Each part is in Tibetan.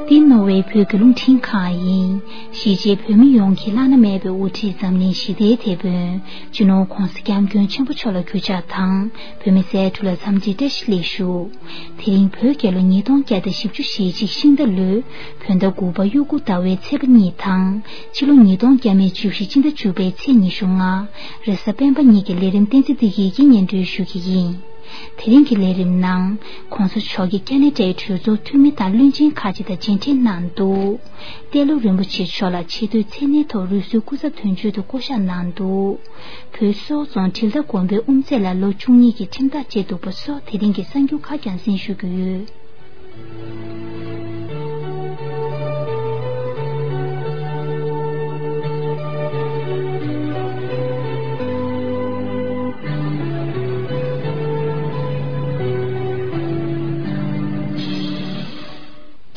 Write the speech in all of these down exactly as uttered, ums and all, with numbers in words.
འདི་ནོར་ཝེ་བོད་ཀྱི་རླུང་འཕྲིན་ཁང་ཡིན། གཞིས་བྱེས་བོད་མི་ཡོངས་ཀྱི་བླ་ན་མེད་པའི་དབུ་ཁྲིད་འཛམ་གླིང་ཞི་བདེའི་དེད་དཔོན་སྤྱི་ནོར་༧གོང་ས་༧སྐྱབས་མགོན་ཆེན་པོ་མཆོག་ལ་གུས་ཕྱག་དང་། བོད་མི་སེར་ཕྲུག་ལ་འཚམས་འདྲིའི་བཀྲ་ཤིས་ལེགས་ཞུ། དེ་རིང་བོད་རྒྱལ་ལོ་ཉིས་སྟོང་བརྒྱ་དང་བཞི་བཅུ་ཞེ་གཅིག་ཤིང་རྟ་ལོའི་བོད་ཟླ་དགུ་པ་དབྱུག་གུ་ཟླ་བའི་ཚེས་པ་གཉིས་དང་། ཕྱི་ལོ་ཉིས་སྟོང་བརྒྱ་མེད་བཅུ་བཞི་སྤྱི་ཟླ་བཅུ་པའི་ཚེས་ཉི་ཤུ་ལྔ། རེས་གཟའ་སྤེན་པ་ཉིན་གྱི་ལས་རིམ་བསྟན་འཛིན་བདེ་སྐྱིད་ཀྱིས་སྙན་སྒྲོན་ཞུ་གི་ཡིན། དེ་རིང་གི་ལས་རིམ་ནང་། ༸གོང་ས་མཆོག་གིས་ཁ་ན་ཌའི་གྲོས་ཚོགས་འཐུས་མི་དང་བློན་ཆེན་ཁག་ཅིག་དང་མཇལ་འཕྲད་གནང་འདུག་ཏེ་ལོ་རིན་པོ་ཆེ་མཆོག་ལ་ཆེས་མཐོའི་མཚན་གནས་ཐོག་རུ་སུའི་སྐུ་ཚབ་དོན་གཅོད་དུ་བསྐོ་གཞག་གནང་འདུག་བོད་སོག་རྫོང་དྲིལ་མདའ་དགོན་པའི་དབུ་མཛད་ལ་ལོ་བཅུ་གཉིས་ཀྱི་ཁྲིམས་ཐག་བཅད་འདུག་པ་སོགས་དེ་རིང་གི་གསར་འགྱུར་ཁག་རྒྱང་སྲིང་ཞུ་རྒྱུ་ཡོད།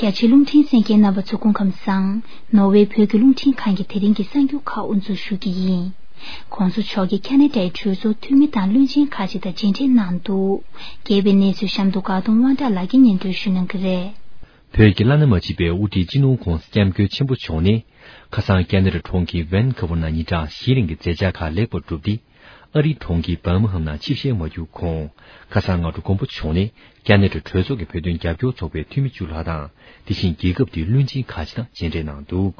རྒྱ་ཆེའི་རླུང་འཕྲིན་གསན་མཁན་རྣམ་པ་ཚོ་སྐུ་ཁམས་བཟང་། ནོར་ཝེ་བོད་ཀྱི་རླུང་འཕྲིན་ཁང་གི་དེ་རིང་གི་གསར་འགྱུར་ཁག་དབུ་འཛུགས་ཞུ་གི་ཡིན། ༸གོང་ས་མཆོག་གིས་ཁ་ན་ཌའི་གྲོས་ཚོགས་འཐུས་མི་དང་བློན་ཆེན་ཁག་ཅིག་དང་མཇལ་འཕྲད་གནང་འདུག་རྒྱས་པའི་གནས་ཚུལ་གཤམ་དུ་དགའ་གདོང་དབང་གྲགས་ལགས་ཀྱིས་སྙན་སྒྲོན་ཞུ་གནང་གི་རེད། བོད་ཀྱི་བླ་ན་མ་མཆིས་པའི་དབུ་ཁྲིད་སྤྱི་ནོར་༸གོང་ས་༸སྐྱབས་མགོན་ཆེན་པོ་མཆོག་ནི། ཁ་སང་ཁེ་ན་ཌ་གྲོང་ཁྱེར་ཝན་ཁུ་ཝར་ནང་ཉིན་གྲངས་བཞིའི་རིང་གི་མཛད་འཆར་ཁག་ལེགས་པར་གྲུབ་སྟེ། ཨ་རིའི་གྲོང་ཁྱེར་བར་མིང་ཧམ་ནང་ཆིབས་ཞལ་མ་བསྒྱུར་གོང་། ཁ་སང་སྔ་དྲོ་མགོན་པོ་མཆོག་ནི་ཁེ་ན་ཌ་གྲོས་ཚོགས་ཀྱི་བོད་དོན་རྒྱབ་སྐྱོར་ཚོགས་པའི་འཐུས་མི་བཅུ་ལྷག་དང་། དེ་བཞིན་རྒྱལ་ཁབ་དེའི་བློན་ཆེན་ཁག་ཅིག་དང་མཇལ་འཕྲད་གནང་འདུག་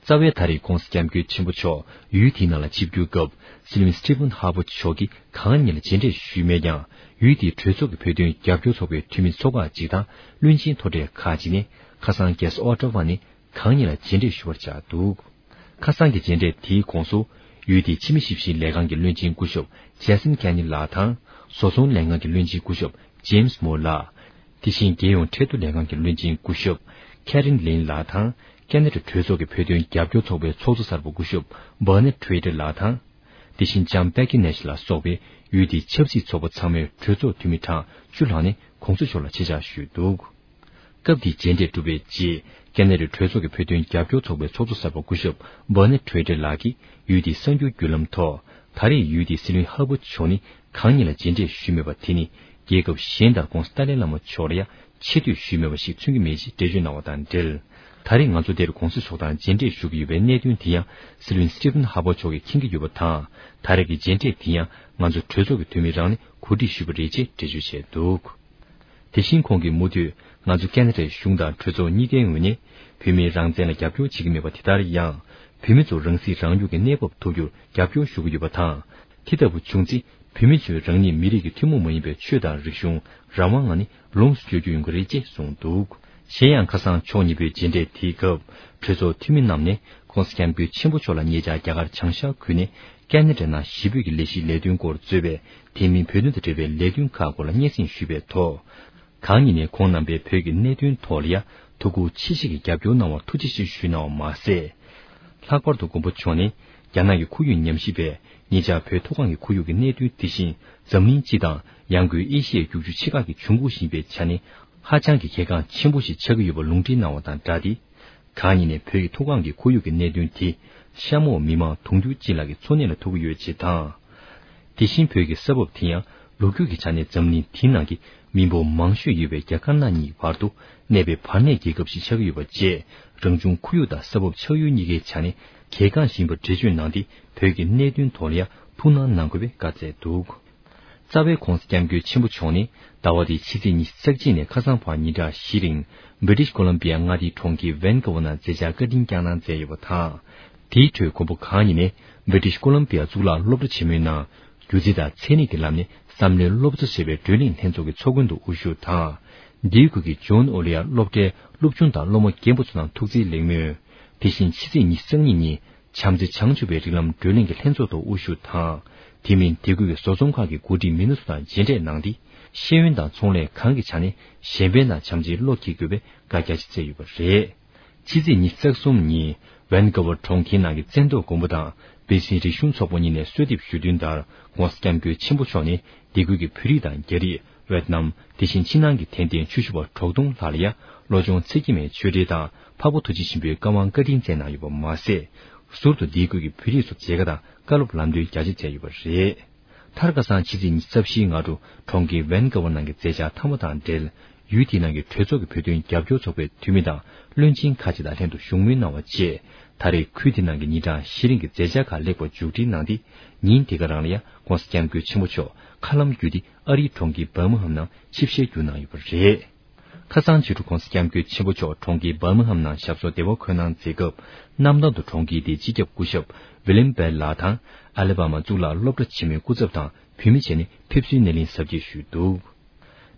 རྩ་བའི་ད་རེས་༸གོང་ས་༸སྐྱབས་མགོན་ཆེན་པོ་མཆོག་ཡུལ་དེའི་ནང་ལ་ཆིབས་བསྒྱུར་སྐབས། སྲིད་བློན་སི་ཊི་ཕན་ཧར་པར་མཆོག་གིས་གང་ཉིད་ལ་མཇལ་འཕྲད་ཞུས་མེད་ཀྱང་། ཡུལ་དེའི་གྲོས་ཚོགས་ཀྱི་བོད་དོན་རྒྱབ་སྐྱོར་ཚོགས་པའི་འཐུས་མི་ཚོ་ཁག་ཅིག་དང་བློན་ཆེན་མཐོ་གྲས་ཁག་ཅིག་ནས་ཁ་སང་རྒྱལ་ས་ཨོ་ཊ་ཝ་ནས་གང་ཉིད་ལ་མཇལ་འཕྲད་ཞུ་བར་བཅར་འདུག་ཁ་སང་གི་མཇལ་འཕྲད་དེའི་ཁོངས་སུ། ཡུལ་དེའི་ཕྱི་མི་ཞིབ་བཤེར་ལས་ཁང་གི་བློན་ཆེན་སྐུ་ཞབས་ཇེ་སན་ཁེ་ནི་ལགས་དང་། བཟོ་ཚོང་ལས་ཁང་གི་བློན་ཆེན་སྐུ་ཞབས་ཇེམ་སི་མོར་ལགས། དེ་བཞིན་རྒྱལ་ཡོངས་ཁྲལ་བསྡུ་ལས་ཁང་གི་བློན་ཆེན་སྐུ་ཞབས་ཁེ་རིན་ལིན་ལགས་དང་། ཁེ་ན་ཌ་གྲོས་ཚོགས་ཀྱི་བོད་དོན་རྒྱབ་སྐྱོར་ཚོགས་པའི་ཚོགས་གཙོ་གསར་པ་སྐུ་ཞབས་བར་ནེ་ཊི་རེ་ཊར་ལགས་དང་། དེ་བཞིན་ལྕམ་པེ་ཀི་ནེ་ཤི་ལ་སོགས་པའི་ཡུལ་དེའི་ཆབ་སྲིད་ཚོགས་པ་ཚང་མའི་གྲོས་ཚོགས་འཐུས་མི་གྲངས་བཅུ་ལྷག་ནས་༸གོང་ས་མཆོག་ལ་ཆེད་བཅར་ཞུས་འདུག་སྐབས་དེའི་མཇལ་འཕྲད་གྲུབ་པའི་རྗེས། ཁེ་ན་ཌའི་གྲོས་ཚོགས་ཀྱི་བོད་དོན་རྒྱབ་སྐྱོར་ཚོགས་པའི་ཚོགས་གཙོ་གསར་པ་སྐུ་ཞབས་བར་ནེ་ཊི་རེ་ཊར་ལགས་ཀྱིས་ཡུལ་དེའི་གསར་འགྱུར་བརྒྱུད་ལམ་ཐོག་ད་རེས་ཡུལ་དེའི་སྲིད་བློན་ཧར་པར་མཆོག་ནི་གང་ཉིད་ལ་མཇལ་འཕྲད་ཞུས་མེད་པ་དེ་ནི། རྒྱལ་ཁབ་གཞན་དང་༸གོང་ས་ཏཱ་ལའི་བླ་མ་མཆོག་ལ་ཡང་ཆེ་བསྟོད་ཞུས་མེད་པ་ཞིག་མཚོན་གྱི་མེད་ཅེས་འགྲེལ་བརྗོད་གནང་བ་དང་འབྲེལ། ད་རེས་ང་ཚོ་འདིར་༸གོང་ས་མཆོག་དང་མཇལ་འཕྲད་ཞུ་གི་ཡོད་པའི་གནད་དོན་དེ་ཡང་སྲིད་བློན་སི་ཊི་ཕན་ཧར་པར་མཆོག་གིས་མཁྱེན་གྱི་ཡོད་པ་དང་། ད་རེས་ཀྱི་མཇལ་འཕྲད་དེ་ཡང་ང་ཚོ་གྲོས་ཚོགས་ཀྱི་འཐུས་མི་རང་ནས་གོ་སྒྲིག་ཞུས་པ་རེད་ཅེས་འགྲེལ་བརྗོད་བྱས་འདུག་དེ་བཞིན་ཁོང་གིས་མུ་མཐུད་ང་ཚོ་ཁེ་ན་ཌའི་གཞུང་དང་གྲོས་ཚོགས་གཉིས་ཀའི་ངོས་ནས་བོད་མིའི་རང་བཙན་ལ་རྒྱབ་སྐྱོར་བྱེད་ཀྱི་མེད་པ་དེ་ལྟར་ཡང་། བོད་མི་ཚོ་རང་སྲིད་རང་སྐྱོང་གི་གནས་བབ་ཐོབ་རྒྱུར་རྒྱབ་སྐྱོར་ཞུ་གི་ཡོད་པ་དང་། དེ་ལྟ་བུ་བྱུང་ཚེ། བོད་མི་ཚོས་རང་ཉིད་མི་རིགས་ཀྱི་ཐུན་མོང་མ་ཡིན་པའི་ཆོས་དང་རིག་གཞུང་རང་དབང་ངང་ནས་ལོངས་སུ་སྤྱོད་རྒྱུ་ཡོང་གི་རེད་ཅེས་གསུངས་འདུག་གཞན་ཡང་ཁ་སང་ཕྱོགས་གཉིས་པོའི་མཇལ་འཕྲད་དེའི་སྐབས། གྲོས་ཚོགས་འཐུས་མི་རྣམས་ནས་༸གོང་ས་༸སྐྱབས་མགོན་ཆེན་པོ་མཆོག་ལ་ཉེ་ཆར་རྒྱ་གར་བྱང་ཤར་ཁུལ་ནས་ཁེ་ན་ཌ་ནང་ཞི་བོད་ཀྱི་ལས་གཞིའི་ལས་དོན་སྐོར་གཙོས་པའི་དེ་མིན་བོད་དོན་དང་འབྲེལ་བའི་ལས་དོན་ཁག་སྐོར་ལ་སྙན་སེང་ཞུས་པའི་ཐོག་གང་ཉིད་ནས་ཁོང་རྣམ་པས་བོད་ཀྱི་གནད་དོན་ཐོག་ལ་ཡང་ཐུགས་ཁུར་ཆེ་བཞེས་ཀྱིས་རྒྱབ་སྐྱོར་གནང་བར་ཐུགས་རྗེ་ཆེ་ཞུས་གནང་བ་མ་ཟད། ལྷག་པར་དུ་མགོན་པོ་མཆོག་ནི་རྒྱ་ནག་གི་ཁོར་ཡུག་ཉམས་ཞིབ་པས་ཉེ་ཆར་བོད་མཐོ་སྒང་གི་ཁོར་ཡུག་གི་གནད་དོན་དེ་བཞིན་འཛམ་གླིང་སྤྱི་དང་ཡང་སྒོས་ཨེ་ཤི་ཡའི་རྒྱུག་ཆུ་ཆེ་ཁག་གི་འབྱུང་ཁུངས་ཤིག་ཡིན་པའི་ཆ་ནས་ཧ་ཅང་གི་གལ་འགངས་ཆེན་པོ་ཞིག་ཆགས་ཀྱི་ཡོད་པ་ལུང་འདྲེན་གནང་བ་དང་སྦྲགས་ཏེ། གང་ཉིད་ནས་བོད་ཀྱི་མཐོ་སྒང་གི་ཁོར་ཡུག་གི་གནད་དོན་དེ་གཤམ་འོག་མི་མང་དུང་ཕྱུར་གཅིག་ལྷག་གི་འཚོ་གནས་ལ་ཐུག་གི་ཡོད་ཅེས་དང་། དེ་བཞིན་བོད་ཀྱི་ས་བབ་དེ་ཡང་ལོ་རྒྱུས་ཀྱི་ཆ་ནས་འཛམ་གླིང་འདིའི་ནང་གི་མི་འབོར་མང་ཤོས་ཡོད་པའི་རྒྱ་དཀར་ནག་གཉིས་ཀྱི་བར་དུ་གནས་པའི་བར་གནས་རྒྱལ་ཁབ་ཞིག་ཆགས་ཀྱི་ཡོད་པ་བཅས་རང་བྱུང་ཁོར་ཡུག་དང་ས་བབ་ཆགས་ཡུལ་གཉིས་ཀའི་ཆ་ནས་གལ་འགངས་ཤིག་ཡིན་པར་འགྲེལ་བརྗོད་གནང་སྟེ་བོད་ཀྱི་གནད་དོན་ཐོག་ལ་ཡང་ཐུགས་སྣང་གནང་དགོས་པའི་བཀའ་སྩལ་འདུག་རྩ་བའི་༸གོང་ས་༸སྐྱབས་མགོན་ཆེན་པོ་མཆོག་ནི་ཟླ་བ་འདིའི་ཕྱི་ཚེས་ཉི་ཤུ་རྩ་གཅིག་ནས་ཁ་སང་བར་ཉིན་གྲངས་བཞིའི་རིང་བྷི་ཊི་ཤི་ཀོ་ལམ་བི་ཡ་མངའ་སྡེའི་གྲོང་ཁྱེར་ཝན་ཀུ་ཝར་ནང་མཛད་འཆར་བཀའ་དྲིན་བསྐྱངས་གནང་མཛད་ཡོད་པ་དང་། དེའི་ཁྲོད་མགོན་པོ་གང་ཉིད་ནས་བྷི་ཊི་ཤི་ཀོ་ལམ་བི་ཡ་གཙུག་ལག་སློབ་གྲྭ་ཆེན་མོའི་ནང་སྒྱུ་རྩལ་དང་ཚན་རིག་གི་ལམ་ནས་བསམ་བློའི་སློབ་གསོ་ཞེས་པའི་བགྲོ་གླེང་ལྷན་ཚོགས་ཀྱི་ཚོགས་མགོན་དུ་དབུ་བཞུགས་དང་། འདིའི་ཁུལ་གྱི་ཇོན་ཨོ་ལི་ཡ་སློབ་གྲྭའི་སློབ་ཆུང་དང་སློབ་མ་རྒན་པོ་ཚོ་དང་ཐུགས་བརྩེའི་ལེགས་སྨོན། དེ་བཞིན་ཕྱི་ཚེས་ཉི་ཤུ་རྩ་གཉིས་ཉིན་བྱམས་བརྩེ་བྱང་ཆུབ་པའི་རིགས་ལམ་བགྲོ་གླེང་གི་ལྷན་ཚོགས་ཐོག་དབུ་བཞུགས་དང་། དེ་མིན་དེ་ཁུལ་གྱི་བཟོ་ཚོང་ཁང་གི་འགོ་ཁྲིད་མི་སྣ་ཚོ་དང་མཇལ་འཕྲད་གནང་སྟེ། ཤེས་ཡོན་དང་ཚོང་ལས་གང་གི་ཆ་ནས་གཞན་ཕན་དང་བྱམས་བརྩེའི་བློ་འཁྱེར་དགོས་པའི་བཀའ་རྒྱ་ཆེ་བསྩལ་ཡོད་པ་རེད། ཕྱི་ཚེས་ཉི་ཤུ་རྩ་གསུམ་ཉིན་ཝན་ཀུ་ཝར་གྲོང་ཁྱེར་ནང་གི་བཙན་ཐོག་དགོན་པ་དང་བྷི་སི་རིག་གཞུང་ཚོགས་པ་གཉིས་ནས་གསོལ་འདེབས་ཞུ་དོན་ལྟར་༸གོང་ས་༸སྐྱབས་མགོན་ཆེན་པོ་མཆོག་ནས་འདི་ཁུལ་གྱི་བོད་རིགས་དང་རྒྱ་རིགས། ཝེད་ནམ། དེ་བཞིན་ཕྱི་ནང་གི་དད་ལྡན་ཆོས་ཞུ་བ་དྲུག་སྟོང་ལྷག་ལ་ཡང་བློ་སྦྱོང་ཚིག་བརྒྱད་མའི་ཆོས་འབྲེལ་དང་འཕགས་པ་ཐུགས་རྗེ་ཆེན་པོའི་བཀའ་དབང་བཀའ་དྲིན་སྩལ་གནང་ཡོད་པ་མ་ཟད། ཟུར་དུ་འདིའི་ཁུལ་གྱི་བོད་རིགས་ཚོ་མཇལ་ཁ་དང་བཀའ་སློབ་ལམ་སྟོན་རྒྱ་ཆེ་མཛད་ཡོད་པ་རེད། མཐར་ཁ་སང་ཕྱི་ཚེས་ཉི་ཤུ་རྩ་བཞིའི་སྔ་དྲོ་གྲོང་ཁྱེར་ཝན་ཀུ་ཝར་ནང་གི་མཛད་འཆར་མཐའ་མ་དང་འབྲེལ། ཡུལ་དེའི་ནང་གི་གྲོས་ཚོགས་ཀྱི་བོད་དོན་རྒྱབ་སྐྱོར་ཚོགས་པའི་འཐུས་མི་དང་བློན་ཆེན་ཁག་ཅིག་དང་ལྷན་དུ་བཞུགས་མོལ་གནང་བ་བཅས། ད་རེས་ཁུལ་དེའི་ནང་གི་ཉིན་གྲངས་བཞི་རིང་གི་མཛད་འཆར་ཁག་ལེགས་པར་མཇུག་སྒྲིལ་གནང་སྟེ། ཉིན་དེ་ག་རང་ལ་ཡང་༸གོང་ས་༸སྐྱབས་མགོན་ཆེན་པོ་མཆོག་མཁའ་ལམ་བརྒྱུད་དེ་ཨ་རིའི་གྲོང་ཁྱེར་འབར་མ་ཧམ་ནང་ཆིབས་ཞལ་བསྒྱུར་གནང་ཡོད་པ་རེད། ཁ་སང་ཕྱི་དྲོ་༸གོང་ས་༸སྐྱབས་མགོན་ཆེན་པོ་མཆོག་གྲོང་ཁྱེར་འབར་མ་ཧམ་ནང་ཞབས་སོར་བདེ་བར་འཁོད་གནང་མཛད་སྐབས། གནམ་ཐང་དུ་གྲོང་ཁྱེར་དེའི་སྤྱི་ཁྱབ་སྐུ་ཞབས་ཝི་ལིམ་བེལ་ལགས་དང་། ཨ་ལི་བྷ་མ་གཙུག་ལག་སློབ་གྲྭ་ཆེན་མོའི་སྐུ་ཚབ་དང་བོད་མི་བཅས་ནས་ཕེབས་བསུའི་སྣེ་ལེན་གཟབ་རྒྱས་ཞུས་འདུག་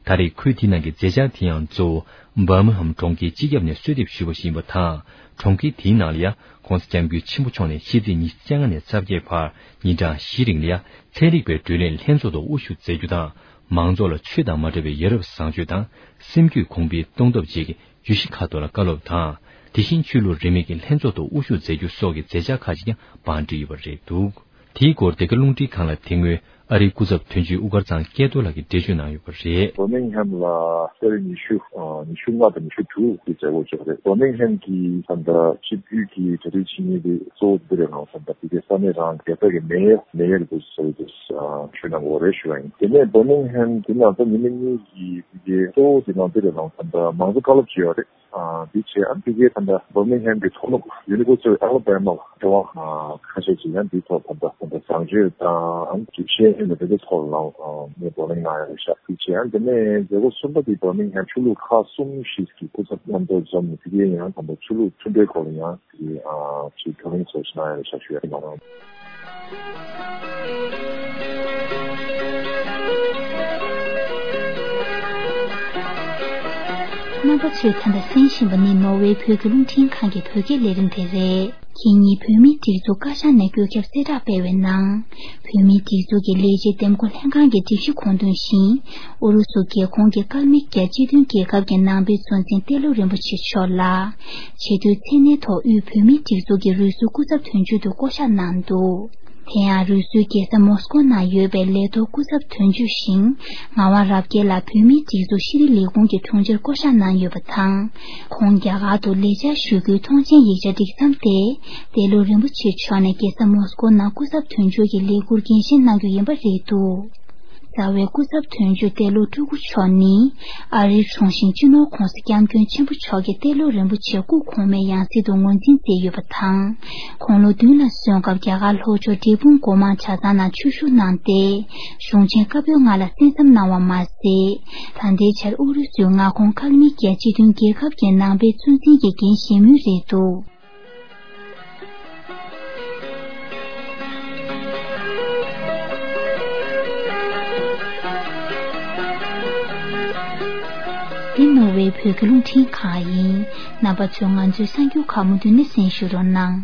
ད་རེས་ཁུལ་དེའི་ནང་གི་མཛད་འཆར་དེ་ཡང་གཙོ་བོ་འབར་མ་ཧམ་གྲོང་ཁྱེར་སྤྱི་ཁྱབ་ནས་གསོལ་འདེབས་ཞུས་པ་ཞིག་ཡིན་པ་དང་། གྲོང་ཁྱེར་དེའི་ནང་ལ་ཡང་༸གོང་ས་༸སྐྱབས་མགོན་ཆེན་པོ་མཆོག་ནས་ཕྱི་ཚེས་ཉི་ཤུ་རྩ་ལྔ་ནས་རྩ་བརྒྱད་བར་ཉིན་གྲངས་བཞི་རིང་ལ་ཡང་ཚན་རིག་པའི་བགྲོ་གླེང་ལྷན་ཚོགས་ཐོག་དབུ་བཞུགས་མཛད་རྒྱུ་དང་། མང་ཚོགས་ལ་ཆོས་དང་མ་འབྲེལ་བའི་ཡ་རབས་བཟང་སྤྱོད་དང་སེམས་རྒྱུད་གོང་འཕེལ་གཏོང་ཐབས་བཅས་ཀྱི་བརྗོད་གཞི་ཁག་ཐོག་ལ་བཀའ་སློབ་དང་། དེ་བཞིན་ཆོས་ལུགས་རིས་མེད་ཀྱི་ལྷན་ཚོགས་ཐོག་དབུ་བཞུགས་མཛད་རྒྱུ་སོགས་ཀྱི་མཛད་འཆར་ཁག་ཅིག་ཀྱང་བང་བསྒྲིགས་ཡོད་པ་རེད་འདུག་དེའི་སྐོར་འདི་ག་རླུང་འཕྲིན་ཁང་ལ་དེ་སྔོན་ཨ་རིའི་སྐུ་ཚབ་དོན་གཅོད་དབུ་དཀར་ཚང་སྐལ་རྡོར་ལགས་ཀྱིས་འགྲེལ་བརྗོད་གནང་ཡོད་པ་རེད། བར་མིང་ཧམ་ལ་ཚེས་ཉི་ཤུ་ཉི་ཤུ་ལྔ་དང་ཉི་ཤུ་དྲུག་གི་མཛད་སྒོ་ཅིག་རེད། བར་མིང་ཧམ་གྱི་ད་ལྟ་ཆིབས་བསྒྱུར་གྱི་གྲ་སྒྲིག་བྱེད་མཁན་དེ་གཙོ་བོ་འདི་རེད་ལ། ད་ལྟ་དེ་གའི་ས་གནས་རང་རྒྱལ་ས་གི་མེ་ཡར་མེ་ཡར་དུ་ཟེར་དུ་ཞུ་གནང་དགོས་རེད་ཞུ་བ་ཡིན། དེ་ནས་བར་མིང་ཧམ་དེ་ནང་ད་ཉི་མ་གཉིས་ཀྱི་དེ་གའི་གཙོ་བོ་དེ་ནང་དེ་རེད་ལ། ད་ལྟ་མང་གཙོ་བཀའ་སློབ་ཅིག་ཡོད་རེད། ཨ། འདི་བྱས་ཨ་ཕ་གིའི་ད་ལྟ་བར་མིང་ཧམ་གྱི་མཐོ་སློབ་University of Alabama ལ་འབྲེལ་བ་ཁ་ཤས་ཤིག་ཡང་འདིའི་ཐོག་ད་ལྟ་ད་ལྟ་བཟང་སྤྱོད་དང་ཅིག་ཤེས་ཡོན་དང་དེ་ཚོའི་ཐོག་ལ་ངས་བགྲོ་གླེང་གནང་ཡོད་ཤག་དེ་བྱས་ཨ་དེ་ནས་མཛད་སྒོ་གསུམ་པ་དེ་བར་མིང་ཧམ་ཆོས་ལུགས་ཁག་གསུམ་ཞིག་གི་སྐུ་ཚབ་མཉམ་དུ་འཛོམས་ནས་ཕ་གིའི་ཡང་ད་ལྟ་ཆོས་ལུགས་མཐུན་འབྲེལ་སྐོར་ལ་ཡང་དེ་ཅིག་བགྲོ་གླེང་ཚོགས་ཤིག་གནང་ཡོད་ཤག་ཞུ་ཡ་ཡིན། རྣམ་པ་ཚོས་ད་ལྟ་གསན་བཞིན་པ་ནི་ནོར་ཝེ་བོད་ཀྱི་རླུང་འཕྲིན་ཁང་གི་བོད་སྐད་ལས་རིམ་དེ་རེད། ཁེ་ཉིན་བོད་མིའི་སྒྲིག་འཛུགས་བཀའ་ཤག་ནས་བཀོད་ཁྱབ་གསལ་བསྒྲགས་སྤེལ་བའི་ནང་། བོད་མིའི་སྒྲིག་འཛུགས་ཀྱི་ལས་བྱེད་འདེམས་བསྐོ་ལྷན་ཁང་གི་སྒྲིག་གཞི་དགོངས་དོན་བཞིན། ཨུ་རུ་སུ་རྒྱལ་ཁོངས་ཀྱི་ཀལ་མི་ཀྱ་སྤྱི་མཐུན་རྒྱལ་ཁབ་ཀྱི་ནང་པའི་གཙོ་འཛིན་ཏེ་ལོ་རིན་པོ་ཆེ་མཆོག་ལ། ཆེས་མཐོའི་མཚན་གནས་ཐོག་དབུས་བོད་མིའི་སྒྲིག་འཛུགས་ཀྱི་རུས་སུའི་སྐུ་ཚབ་དོན་གཅོད་དུ་བསྐོ་གཞག་གནང་འདུག་དེ་ཡང་རུས་སུའི་རྒྱལ་ས་མོ་སི་ཀོ་ནང་ཡོད་པའི་ལས་ཐོག་སྐུ་ཚབ་དོན་གཅོད་ཞིང་ངག་དབང་རབ་རྒྱས་ལགས་བོད་མིའི་སྒྲིག་འཛུགས་ཤེས་རིག་ལས་ཁུངས་ཀྱི་དྲུང་ཆེར་བསྐོ་གཞག་གནང་ཡོད་པ་དང་། ཁོང་རྒྱ་གར་དུ་ལས་བཅར་ཞུ་རྒྱུའི་ཐོངས་མཆན་ཡིག་ཆ་སྒྲིག་མཚམས་ཏེ། ཏེ་ལོ་རིན་པོ་ཆེ་མཆོག་ནས་རྒྱལ་ས་མོ་སི་ཀོ་ནང་སྐུ་ཚབ་དོན་གཅོད་ཀྱི་ལས་འཁུར་འགན་བཞེས་གནང་རྒྱུ་ཡིན་པ་རེད་འདུག་རྩ་བའི་སྐུ་ཚབ་དོན་གཅོད་ཏེ་ལོ་སྤྲུལ་སྐུ་མཆོག་ནི། ཨ་རིའི་དྲུང་ཆེ་སྤྱི་ནོར་༸གོང་ས་༸སྐྱབས་མགོན་ཆེན་པོ་མཆོག་གིས་ཏེ་ལོ་རིན་པོ་ཆེ་སྐུ་གོང་མའི་ཡང་སྲིད་དུ་ངོས་འཛིན་མཛད་ཡོད་པ་དང་། དགུང་ལོ་བདུན་ལ་སོན་སྐབས་རྒྱ་གར་ལྷོ་ཕྱོགས་འབྲས་སྤུངས་སྒོ་མང་གྲྭ་ཚང་ནང་ཆོས་ཞུགས་གནང་སྟེ། གཞུང་ཆེན་བཀའ་པོད་ལྔ་ལ་གསན་བསམ་གནང་བ་མ་ཟད། ད་ལྟའི་ཆར་ཨུ་རུ་སུའི་མངའ་ཁོངས་ཀལ་མི་ཀྱ་སྤྱི་མཐུན་རྒྱལ་ཁབ་ཀྱི་ནང་པའི་གཙོ་འཛིན་གྱི་འགན་བཞེས་མུས་རེད་འདུག་འདི་ནོར་ཝེ་བོད་ཀྱི་རླུང་འཕྲིན་ཁང་ཡིན། རྣམ་པ་ཚོས་ང་ཚོའི་གསར་འགྱུར་ཁག་མུ་མཐུད་ནས་གསན་ཞུ་རོགས་གནང་།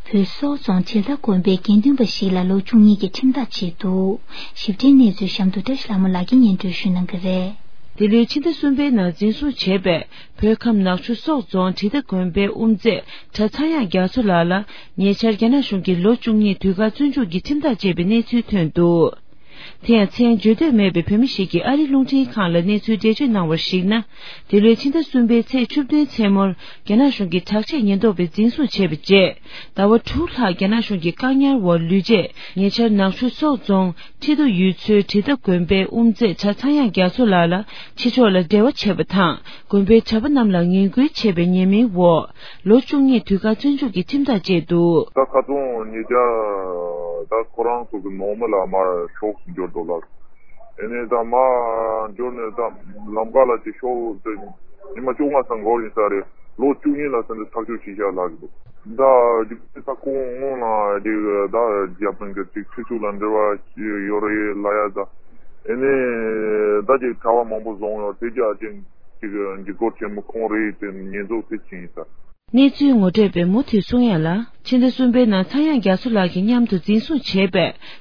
བོད་སོག་རྫོང་དྲིལ་མདའ་དགོན་པའི་དགེ་འདུན་པ་ཞིག་ལ་ལོ་བཅུ་གཉིས་ཀྱི་ཁྲིམས་ཐག་བཅད་འདུག་ཞིབ་ཕྲའི་གནས་ཚུལ་གཤམ་དུ་བཀྲ་ཤིས་ལྷ་མོ་ལགས་ཀྱིས་སྙན་སྒྲོན་ཞུ་གནང་གི་རེད། འདི་ལོའི་ཕྱི་ཟླ་གསུམ་པའི་ནང་འཛིན་བཟུང་བྱས་པའི་བོད་ཁམས་ནག་ཆུ་སོག་རྫོང་དྲིལ་མདའ་དགོན་པའི་དབུ་མཛད་གྲྭ་ཚངས་དབྱངས་རྒྱ་མཚོ་ལགས་ལ་ཉེ་ཆར་རྒྱ་ནག་གཞུང་གིས་ལོ་བཅུ་གཉིས་དུས་བཀག་བཙོན་འཇུག་གི་ཁྲིམས་ཐག་བཅད་པའི་གནས་ཚུལ་ཐོན་འདུག་དེ་ཡང་མཚན་བརྗོད་འདོད་མེད་པའི་བོད་མི་ཞིག་གིས་ཨ་རིའི་རླུང་འཕྲིན་ཁང་ལ་གནས་ཚུལ་འགྲེལ་བརྗོད་གནང་བར་གཞིགས་ན། འདི་ལོའི་ཕྱི་ཟླ་གསུམ་པའི་ཚེས་བཅུ་བདུན་མཚན་མོར་རྒྱ་ནག་གཞུང་གིས་དྲག་ཆས་ཉེན་རྟོག་པས་འཛིན་བཟུང་བྱས་པའི་རྗེས། ཟླ་བ་དྲུག་ལྷག་རྒྱ་ནག་གཞུང་གི་བཀག་ཉར་འོག་ལུས་རྗེས་ཉེ་ཆར་ནག་ཆུ་སོག་རྫོང་ཁྲི་རྡོ་ཡུལ་ཚོའི་དྲིལ་མདའ་དགོན་པའི་དབུ་མཛད་གྲྭ་ཚངས་དབྱངས་རྒྱ་མཚོ་ལགས་ལ་ཕྱི་ཕྱོགས་ལ་འབྲེལ་བ་བྱས་པ་དང་དགོན་པའི་གྲྭ་པ་རྣམས་ལ་ངན་སྐུལ་བྱས་པའི་ཉེས་མིང་འོག་ལོ་བཅུ་གཉིས་དུས་བཀག་བཙོན་འཇུག་གི་ཁྲིམས་ཐག་བཅད་འདུག་ད་ཁ་སང་ཉེ་ཆར་ད་ཁོ་རང་ཚོ་གི་ནང་མི་ལ་མར་ཕྱོགས་སུ་འབྱོར་འདུག་ལགས། ཨེ་ནས་ད་མར་འབྱོར་ནས་ད་ལམ་ཁ་ལ་ཅིག་ཤོག་ཟེར། ཉི་མ་བཅོ་ལྔ་ཙམ་འགོར་ཡིན་ས་རེད། ལོ་བཅུ་གཉིས་ལ་ཟེར་ནས་ཐག་གཅོད་བྱས་བཞག་ལབ་ཀྱི་འདུག་ད་རྒྱུ་མཚན་ད་ཁོང་སྔོན་ལ་ཅིག་ད་རྒྱ་དཔོན་གྱི་ཅིག་ཁྲི་ཚུགས་ལ་འབྲེལ་བ་ཡོད་རེད་ལབ་ཡ་ད། ཨེ་ནས་ད་ཅིག་གྲྭ་པ་མང་པོ་བཟུང་ཡོད་དེ་རྒྱ་ཅིག་ཅིག་འཇིགས་སྐུལ་ཆེན་མོ་ཁོང་རེད་དེ་ཉེས་འཛུགས་དེ་ཕྱིན་ཡིན་ས། གནས་ཚུལ་ངོ་སྤྲོད་པས་མུ་མཐུད་གསུང་ཡ་ལ། ཕྱི་ཟླ་གསུམ་པའི་ནང་ཚངས་དབྱངས་རྒྱ་མཚོ་ལགས་ཀྱིས་མཉམ་དུ་འཛིན་བཟུང་བྱས་པའི་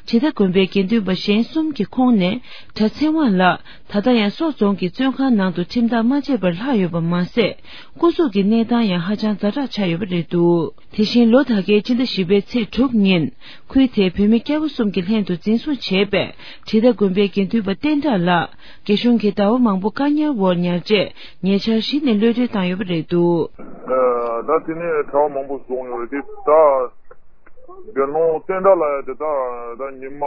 དྲིལ་མདའ་དགོན་པའི་དགེ་འདུན་པ་གཞན་གསུམ་གྱི་ཁོངས་ནས་གྲྭ་ཚེ་དབང་ལགས་ད་ལྟ་ཡང་སོག་རྫོང་གི་བཙོན་ཁང་ནང་དུ་ཁྲིམས་ཐག་མ་བཅད་པར་ལྷག་ཡོད་པ་མ་ཟད། སྐུ་གཟུགས་ཀྱི་གནས་སྟངས་ཡང་ཧ་ཅང་ཛ་དྲག་ཆགས་ཡོད་པ་རེད་འདུག་དེ་བཞིན་ལོ་ད་གའི་ཕྱི་ཟླ་བཞི་པའི་ཚེས་དྲུག་ཉིན། ཁུལ་དེའི་བོད་མི་སྐྱ་བོ་གསུམ་གྱིས་ལྷན་དུ་འཛིན་བཟུང་བྱས་པའི་དྲིལ་མདའ་དགོན་པའི་དགེ་འདུན་པ་བསྟན་གྲགས་ལགས་རྒྱ་གཞུང་གིས་ཟླ་བ་མང་པོ་བཀག་ཉར་འོག་ཉར་རྗེས་ཉེ་ཆར་གཞི་ནས་གློད་གྲོལ་བཏང་ཡོད་པ་རེད་འདུག་ད་དེ་ནས་གྲྭ་པ་མང་པོ་བཟུང་ཡོད་རེད་དེ་ད་དགེ་སློང་བསྟན་གྲགས་ལགས་ཡ་དེ་ད་ད་ཉི་མ་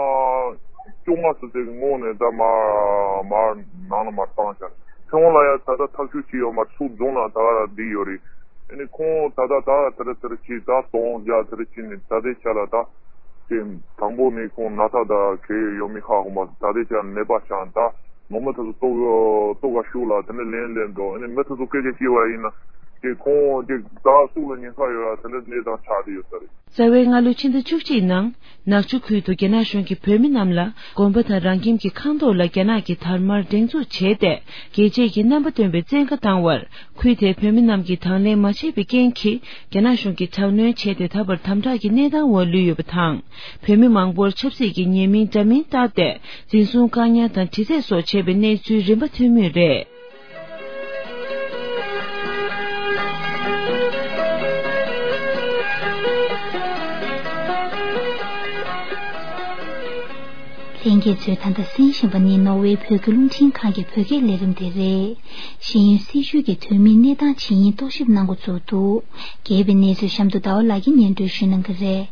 བཅོ་ལྔ་ཙམ་ཅིག་གི་སྔོན་ནས་ད་མར་མར་ནང་ལ་མར་བཏང་ཤག་གཞུང་ལ་ཡང་ད་ལྟ་ཐག་གཅོད་བྱས་ཡོད་མ་རེད། ཚུར་རྫོང་ལ་ད་ག་རང་བསྡད་ཡོད་རེད། ཨ་ནི་ཁོང་ད་ལྟ་ད་དེ་ར་དེ་ར་ཅིག་ད་དོང་རྒྱག་དེ་ར་ཅིག་ནས་ད་ལྟའི་ཆ་ལ་ད་དེ་དང་པོ་ནས་ཁོང་ན་ཚ་ད་གས་ཡོད་མེད་ཧ་གོ་མ་སོང་། ད་ལྟའི་ཆ་ནད་པ་ཆགས། ད་ནང་མི་དེ་ཚོ་ལྟོ་ལྟོ་ག་ཤུགས་ལ་དེ་ནས་ལན་ལན་འགྲོ། ཨ་ནི་མི་དེ་ཚོ་སྐད་ཆ་བཤད་པ་ཡིན་ན་དེ་ཁོང་དེ་ད་སུ་ལ་ཉེན་ཁ་ཡོད་ཡ་དེ་འདྲ་གནས་སྟངས་ཆགས་བསྡད་ཡོད་ས་རེད། རྩ་བའི་སྔ་ལོའི་ཕྱི་ཟླ་བཅུ་གཅིག་ནང་ནག་ཆུ་ཁུལ་དུ་རྒྱ་ནག་གཞུང་གིས་བོད་མི་རྣམས་ལ་དགོན་པ་དང་རང་ཁྱིམ་གྱི་ཁང་ཐོག་ལ་རྒྱ་ནག་གི་དར་དམར་སྒྲེང་འཛུགས་བྱས་ཏེ། རྒྱལ་གཅེས་ཀྱི་རྣམ་པ་སྟོན་པའི་བཙན་བཀའ་བཏང་བར། ཁུལ་དེའི་བོད་མི་རྣམས་ཀྱིས་དང་ལེན་མ་བྱས་པའི་རྐྱེན་གྱིས། རྒྱ་ནག་གཞུང་གིས་དྲག་གནོན་བྱས་ཏེ། ད་བར་དམ་དྲག་གི་གནས་སྟངས་འོག་ལུས་ཡོད་པ་དང་། བོད་མི་མང་པོར་ཆབ་སྲིད་ཀྱི་ཉེས་མིང་འདྲ་མིན་བཏགས་ཏེ། འཛིན་བཟུང་བཀག་ཉར་དང་། དྲི་རྩད་སོགས་བྱས་པའི་གནས་ཚུལ་རིམ་པ་ཐོན་མུས་རེད། ལྷན་རྒྱས་ཚོས་ད་ལྟ་གསན་བཞིན་པ་ནི་ནོར་ཝེ་བོད་ཀྱི་རླུང་འཕྲིན་ཁང་གི་བོད་སྐད་ལས་རིམ་དེ་རེད། ཤེས་ཡོན་སྲིད་བྱུས་ཀྱི་དོན་མིན་གནས་སྟངས་ཇི་ཡིན་རྟོག་ཞིབ་གནང་འགོ་བཙུགས་འདུག། རྒྱས་པའི་གནས་ཚུལ་གཤམ་དུ་ཟླ་བ་ལགས་ཀྱིས་སྙན་སྒྲོན་ཞུ་གནང་གི་རེད།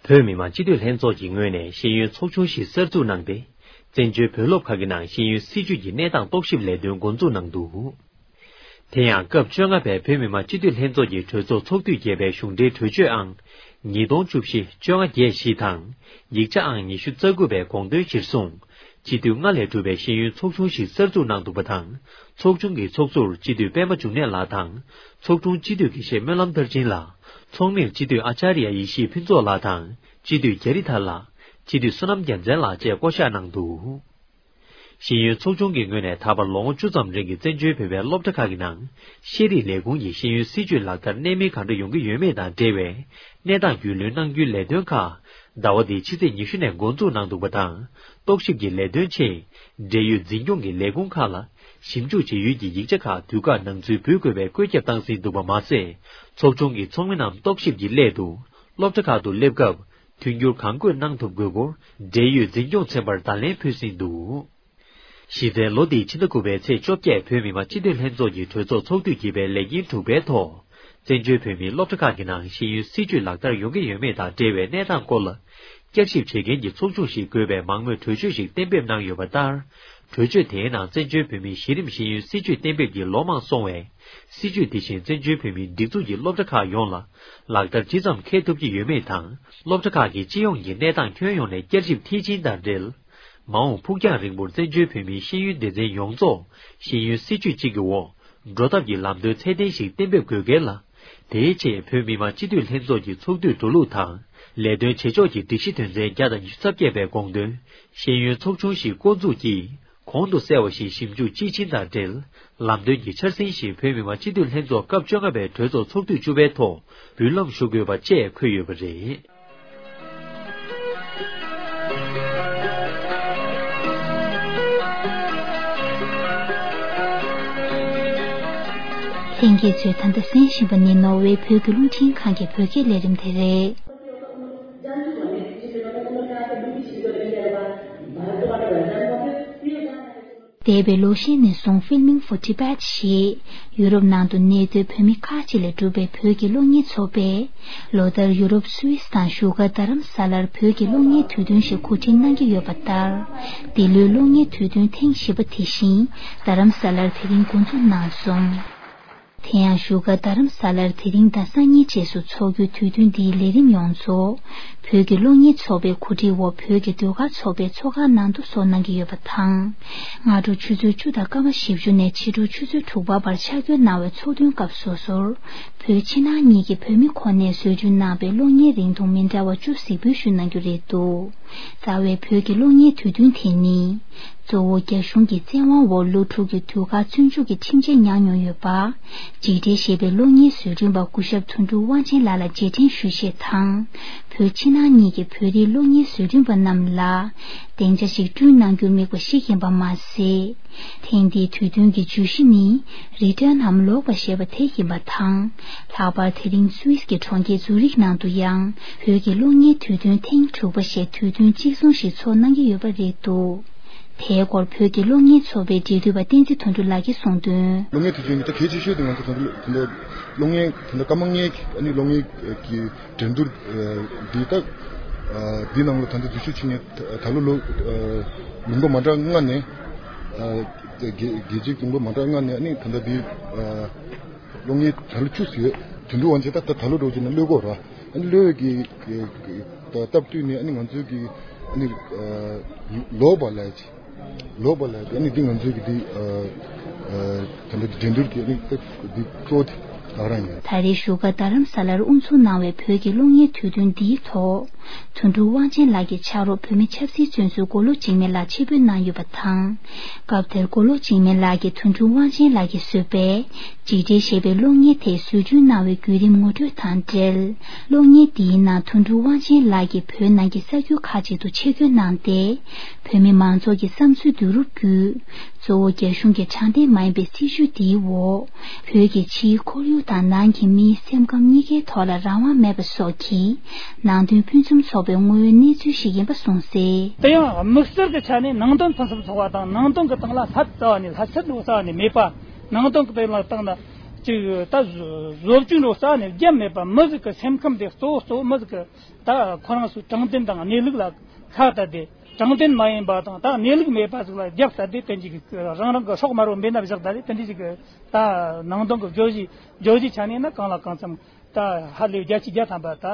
བོད་མི་མང་སྤྱི་འཐུས་ལྷན་ཚོགས་ཀྱི་ངོས་ནས་ཤེས་ཡོན་ཚོགས་ཆུང་ཞིག་གསར་འཛུགས་གནང་སྟེ། བཙན་བྱོལ་བོད་སློབ་ཁག་གི་ནང་ཤེས་ཡོན་སྲིད་བྱུས་ཀྱི་གནས་སྟངས་རྟོག་ཞིབ་ལས་དོན་འགོ་འཛུགས་གནང་འདུག། དེ་ཡང་སྐབས་བཅོ་ལྔ་པའི་བོད་མི་མང་སྤྱི་འཐུས་ལྷན་ཚོགས་ཀྱི་གྲོས་ཚོགས་ཚོགས་དུས་བརྒྱད་པའི་གཞུང་འབྲེལ་གྲོས་ཆོད་ཨང་ཉིས་སྟོང་བཅུ་བཞི་བཅོ་ལྔ་བརྒྱད་བཞི་དང་། ཡིག་ཆ་ཨང་ཉི་ཤུ་རྩ་དགུ་པའི་དགོངས་དོན་གཞིར་བཟུང་། སྤྱི་འཐུས་ལྔ་ལས་གྲུབ་པའི་ཤེས་ཡོན་ཚོགས་ཆུང་ཞིག་གསར་འཛུགས་གནང་འདུག་པ་དང་། ཚོགས་ཆུང་གི་ཚོགས་གཙོར་སྤྱི་འཐུས་པད་མ་འབྱུང་གནས་ལགས་དང་། ཚོགས་དྲུང་སྤྱི་འཐུས་དགེ་བཤེས་སྨོན་ལམ་མཐར་ཕྱིན་ལགས། ཚོགས་མིར་སྤྱི་འཐུས་ཨ་ཅཱརྱ་ཡེ་ཤེས་ཕུན་ཚོགས་ལགས་དང་། སྤྱི་འཐུས་རྒྱ་རི་ཐར་ལགས། སྤྱི་འཐུས་བསོད་ནམས་རྒྱལ་མཚན་ལགས་བཅས་བསྐོ་གཞག་གནང་འདུག། ཤེས་ཡོན་ཚོགས་ཆུང་གི་ངོས་ནས་ད་བར་ལོ་ངོ་བཅུ་ཙམ་རིང་གི་བཙན་བྱོལ་བོད་པའི་སློབ་གྲྭ་ཁག་གི་ནང་ཤེས་རིག་ལས་ཁུངས་ཀྱི་ཤེས་ཡོན་སྲིད་བྱུས་ལག་བསྟར་གནད་སྨིན་གང་འདྲ་ཡོང་གི་ཡོད་མེད་དང་འབྲེལ་བའི་གནས་སྟངས་རྒྱུས་ལོན་གནང་རྒྱུའི་ལས་དོན་ཁག་ཟླ་བ་འདིའི་ཕྱི་ཚེས་ཉི་ཤུ་ནས་འགོ་འཛུགས་གནང་འདུག་པ་དང་། རྟོག་ཞིབ་ཀྱི་ལས་དོན་ཆེད་འབྲེལ་ཡོད་འཛིན་སྐྱོང་གི་ལས་ཁུངས་ཁག་ལ་ཞིབ་འཇུག་བྱེད་ཡུལ་གྱི་ཡིག་ཆ་ཁག་དུས་བཀག་ནང་འཛུལ་འབུལ་དགོས་པའི་བཀོད་ཁྱབ་བཏང་ཟིན་འདུག་པ་མ་ཟད། ཚོགས་ཆུང་གི་ཚོགས་མི་རྣམས་རྟོག་ཞིབ་ཀྱི་སླད་དུ་སློབ་གྲྭ་ཁག་ཏུ་སླེབས་སྐབས། མཐུན་འགྱུར་གང་དགོས་གནང་ཐུབ་དགོས་སྐོར་འབྲེལ་ཡོད་འཛིན་སྐྱོང་ཚན་པར་བརྡ་ལན་ཕུལ་ཟིན་འདུག། གཞི་རྩའི་ལོ་འདིའི་ཕྱི་ཟླ་དགུ་པའི་ཚེས་བཅོ་བརྒྱད་བོད་མི་མང་སྤྱི་འཐུས་ལྷན་ཚོགས་ཀྱི་གྲོས་ཚོགས་ཚོགས་དུས་བརྒྱད་པའི་ལས་ཉིན་དྲུག་པའི་ཐོག། བཙན་བྱོལ་བོད་མིའི་སློབ་གྲྭ་ཁག་གི་ནང་ཤེས་ཡོན་སྲིད་བྱུས་ལག་བསྟར་ཡོང་གི་ཡོད་མེད་དང་འབྲེལ་བའི་གནས་སྟངས་སྐོར་ལ། བསྐྱར་ཞིབ་བྱེད་མཁན་གྱི་ཚོགས་ཆུང་ཞིག་དགོས་པའི་མང་མོས་གྲོས་ཆོད་ཞིག་གཏན་འབེབས་གནང་ཡོད་པ་ལྟར། གྲོས་ཆོད་དེའི་ནང་བཙན་བྱོལ་བོད་མིའི་གཞི་རིམ་ཤེས་ཡོན་སྲིད་བྱུས་གཏན་འབེབས་ཀྱི་ལོ་མང་སོང་བས། སྲིད་བྱུས་དེ་བཞིན་བཙན་བྱོལ་བོད་མིའི་སྒྲིག་འཛུགས་ཀྱི་སློབ་གྲྭ་ཁག་ཡོངས་ལ་ལག་བསྟར་ཇི་ཙམ་འཁེལ་ཐུབ་ཀྱི་ཡོད་མེད་དང་། སློབ་གྲྭ་ཁག་གི་སྤྱི་ཡོངས་ཀྱི་གནས་སྟངས་ཁྱོན་ཡོངས་ནས་བསྐྱར་ཞིབ་མཐིལ་ཕྱིན་དང་འབྲེལ། མ་འོངས་ཕུགས་རྒྱང་རིང་པོར་བཙན་བྱོལ་བོད་མིའི་ཤེས་ཡོན་སྡེ་ཚན་ཡོངས་རྫོགས་ཤེས་ཡོན་སྲིད་བྱུས་གཅིག་གི་འོག་འགྲོ་ཐབས་ཀྱི་ལམ་སྟོན་ཚད་ལྡན་ཞིག་གཏན་འབེབས་དགོས་གལ་ལ། དེའི་ཆེད་བོད་མི་མང་སྤྱི་འཐུས་ལྷན་ཚོགས་ཀྱི་ཚོགས་དུས་འགྲོ་ལུགས་དང་། ལས་དོན་བྱེད་ཕྱོགས་ཀྱི་སྒྲིག་གཞི་དོན་ཚན་བརྒྱ་དང་ཉི་ཤུ་རྩ་བརྒྱད་པའི་དགོངས་དོན། ཤེས་ཡོན་ཚོགས་ཆུང་ཞིག་བསྐོ་འཛུགས་ཀྱིས། གོང་དུ་གསལ་བ་བཞིན་ཞིབ་འཇུག་དཔྱིས་ཕྱིན་དང་འབྲེལ། ལམ་སྟོན་གྱི་འཆར་ཟིན་ཞིག་བོད་མི་མང་སྤྱི་འཐུས་ལྷན་ཚོགས་སྐབས་བཅོ་ལྔ་པའི་གྲོས་ཚོགས་ཚོགས་དུས་བཅུ་པའི་ཐོག་འབུལ་ལམ་ཞུ་དགོས་པ་བཅས་འཁོད་ཡོད་པ་རེད། ལྷན་རྒྱས་ཚོས་ད་ལྟ་གསན་བཞིན་པ་ནི་ནོར་ཝེ་བོད་ཀྱི་རླུང་འཕྲིན་ཁང་གི་བོད་སྐད་ལས་རིམ་དེ་རེད། འདས་པའི་ལོ་ཤས་ནས་བཟུང་Filming for Tibet ཞེས་ཡུ་རོབ་ནང་དུ་གནས་སྡོད་བོད་མི་ཁག་ཅིག་ལས་གྲུབ་པའི་བོད་ཀྱི་གློག་བརྙན་ཚོགས་པས་ལོ་ལྟར་ཡུ་རོབ་སུད་སི་དང་བཞུགས་སྒར་རྡ་རམ་ས་ལར་བོད་ཀྱི་གློག་བརྙན་དུས་སྟོན་ཞིག་གོ་སྒྲིག་གནང་གི་ཡོད་པ་ལྟར། འདི་ལོའི་གློག་བརྙན་དུས་སྟོན་ཐེངས་བཞི་པ་དེ་བཞིན་རྡ་རམ་ས་ལར་དེ་རིང་འགོ་འཛུགས་གནང་སོང་། དེ་ཡང་བཞུགས་སྒར་རྡ་རམ་ས་ལར་དེ་རིང་དང་སང་ཉིན་བཅས་སུ་འཚོགས་རྒྱུའི་དུས་སྟོན་འདིའི་ལས་རིམ་ཡོངས་རྫོགས་བོད་ཀྱི་གློག་བརྙན་ཚོགས་པའི་གོ་སྒྲིག་འོག་བོད་ཀྱི་ཟློས་གར་ཚོགས་པས་ཚོགས་ཁང་ནང་དུ་ཚོགས་གནང་གི་ཡོད་པ་དང་། སྔ་དྲོ་ཆུ་ཚོད་བཅུ་དང་སྐར་མ་བཞི་བཅུ་ནས་ཕྱི་དྲོ་ཆུ་ཚོད་དྲུག་པ་བར་ཆ་བགོས་གནང་བའི་ཚོགས་ཐུན་སྐབས་སོ་སོར་བོད་ཕྱི་ནང་གཉིས་ཀྱི་བོད་མི་ཁོ་ནས་བཟོ་སྐྲུན་གནང་པའི་གློག་བརྙན་རིང་ཐུང་མི་འདྲ་བ་བཅུ་གཟིགས་འབུལ་ཞུ་གནང་རྒྱུ་རེད་འདུག། རྩ་བའི་བོད་ཀྱི་གློག་བརྙན་དུས་སྟོན་དེ་ནི། གཙོ་བོ་རྒྱ་གཞུང་གི་བཙན་དབང་འོག་ལོ་དྲུག་གི་དུས་བཀག་བཙོན་འཇུག་གི་ཁྲིམས་ཆད་མྱངས་མྱོང་ཡོད་པ། འཇིགས་བྲལ་ཞེས་པའི་གློག་བརྙན་བཟོ་སྐྲུན་པ་སྐུ་ཞབས་དོན་གྲུབ་དབང་ཆེན་ལགས་ལ་རྗེས་དྲན་ཞུ་ཆེད་དང་། བོད་ཕྱི་ནང་གཉིས་ཀྱི་བོད་རིགས་གློག་བརྙན་བཟོ་སྐྲུན་པ་རྣམས་ལ། སྡིངས་ཆ་ཞིག་བསྐྲུན་གནང་རྒྱུའི་དམིགས་པ་ཞིག་ཡིན་པ་མ་ཟད། ཐེངས་འདིའི་དུས་སྟོན་གྱི་བརྗོད་གཞི་ནི། རི་ཊརན་ནམ་ལོག་པ་ཞེས་པ་དེ་ཡིན་པ་དང་། ལྷག་པར་དེ་རིང་སུད་སི་གི་གྲོང་ཁྱེར་ཛུ་རིག་ནང་དུ་ཡང་བོད་ཀྱི་གློག་བརྙན་དུས་སྟོན་ཐེངས་དྲུག་པ་ཞེས་དུས་སྟོན་གཅིག་མཚུངས་ཤིག་ཚོགས་གནང་གི་ཡོད་པ་རེད་འདུག། དེའི་སྐོར་བོད་ཀྱི་གློག་བརྙན་ཚོགས་པའི་འབྲེལ་མཐུད་པ་བསྟན་འཛིན་དོན་གྲུབ་ལགས་ཀྱིས་གསུངས་དོན། གློག་བརྙན་དུས་སྟོན་གྱི་ད་གལ་ཆེ་ཤོས་དེ་ང་ཚོ་ད་ལྟ་གློག་བརྙན་ད་ལྟ་སྐར་མ་ལྔའི་ཨ་ནི་གློག་བརྙན་གྱི་འགྲན་བསྡུར་འདི་ད་འདི་ནང་ལ་ད་ལྟ་འཛུལ་ཞུགས་བྱེད་མཁན་ད་ལོ་ལོ་ལུང་པ་མ་འདྲ་ལྔ་ནས། ཨ་རྒྱལ་རྒྱལ་སྤྱིའི་དུམ་བུ་མ་འདྲ་ལྔ་ནས་ཨ་ནི་ད་ལྟ་འདི་ཨ་གློག་བརྙན་ད་ལོ་བཅུ་ཙམ་ཡོད། དོན་གྲུབ་དབང་ཆེན་ད་ད་ད་ལོ་འགྲོ་རྒྱུ་ན་གློད་དགོས་ར། ཨ་ནི་གློད་ཀྱི་ད་སྟབས་བསྟུན་ནས་ཨ་ནི་ང་ཚོའི་གི་ཨ་ནི་ལོག་པ་ལས་ཀྱི་ལོག་པ་ལས་ཀྱི་ཨ་ནི་འདི་ང་ཚོའི་གི་འདི་ཨ་ད་ལྟ་འགྲན་བསྡུར་གྱི་ཨ་ནི་འདི་གཙོ་དེ་ང་རང་ཡིན། ད་རེས་བཞུགས་སྒར་རྡ་རམ་ས་ལར་དབུ་འཛུགས་གནང་བའི་བོད་ཀྱི་གློག་བརྙན་དུས་སྟོན་འདིའི་ཐོག་དོན་གྲུབ་དབང་ཆེན་ལགས་ཀྱི་ཕྱག་རོགས་བོད་མི་ཆབ་སྲིད་བཙོན་ཟུར་མགོ་ལོག་འཇིགས་མེད་ལགས་ཆེད་ཕེབས་གནང་ཡོད་པ་དང་། སྐབས་དེར་མགོ་ལོག་འཇིགས་མེད་ལགས་ཀྱིས་དོན་གྲུབ་དབང་ཆེན་ལགས་ཀྱིས་བཟོས་པའི་འཇིགས་བྲལ་ཞེས་པའི་གློག་བརྙན་དེ་བཟོ་སྐྲུན་གནང་བའི་བརྒྱུད་རིམ་ངོ་སྤྲོད་དང་འབྲེལ། གློག་བརྙན་འདིའི་ནང་དོན་གྲུབ་དབང་ཆེན་ལགས་ཀྱིས་བོད་ནང་གི་ས་ཁུལ་ཁག་ཅིག་ཏུ་ཆེད་བསྐྱོད་གནང་སྟེ། བོད་མི་མང་ཚོགས་ཀྱི་བསམ་ཚུལ་བསྡུ་རུབ་བརྒྱུད། གཙོ་བོ་རྒྱ་གཞུང་གི་དྲང་བདེན་མ་ཡིན་པའི་སྲིད་བྱུས་འདིའི་འོག་བོད་ཀྱི་ཕྱིའི་ཁོར་ཡུག་དང་ནང་གི་མིའི་སེམས་ཁམས་གཉིས་ཀའི་ཐོག་ལ་རང་དབང་མེད་པ་སོགས་ཀྱི་ནང་དོན་ཕུན་སུམ་ཚོགས་པའི་དངོས་ཡོད་གནས་ཚུལ་ཞིག་ཡིན་པ་གསུངས་གསལ། དེ་ཡང་དམིགས་བསལ་གྱི་ཆ་ནས་ནང་དོན་ཕུན་སུམ་ཚོགས་པ་དང་ནང་དོན་གྱི་སྟེང་ལ་ལྷད་རྩ་བ་ནས་ལྷད་ཚད་འགྲོ་རྩ་བ་ནས་མེད་པ། ནང་དོན་གྱི་སྟེང་ལ་སྟེང་ན་ཅིག་ད་བཟོ་བཅོས་འགྲོ་རྩ་བ་ནས་རྒྱབ་མེད་པ། མི་ཟིག་གི་སེམས་ཁམས་དེ་གཙོ་བོ་གཙོ་བོ་མི་ཟིག་གི་ད་ཁོ་རང་ཚོའི་དྲང་བདེན་དང་གནས་ལུགས་ལ་ཁ་གཏད་དེ། དྲང་བདེན་མ་ཡིན་པ་དང་ད་གནས་ལུགས་མེད་པ་ཟིག་ལ་རྒྱབ་གཏད་དེ་དེ་འདྲ་གི་རང་རང་གི་སྲོག་དམར་བོ་འབེན་ན་བཞག་ད་རེད། དེ་འདྲ་གི་ད་ནང་དོན་གྱི་བརྗོད་གཞི་བརྗོད་གཞི་ཆ་ནས་ན་གང་ལ་གང་འཚམ་ད་ཧ་ལས་བརྒྱ་ཆ་བརྒྱ་ཐམ་པ་ད་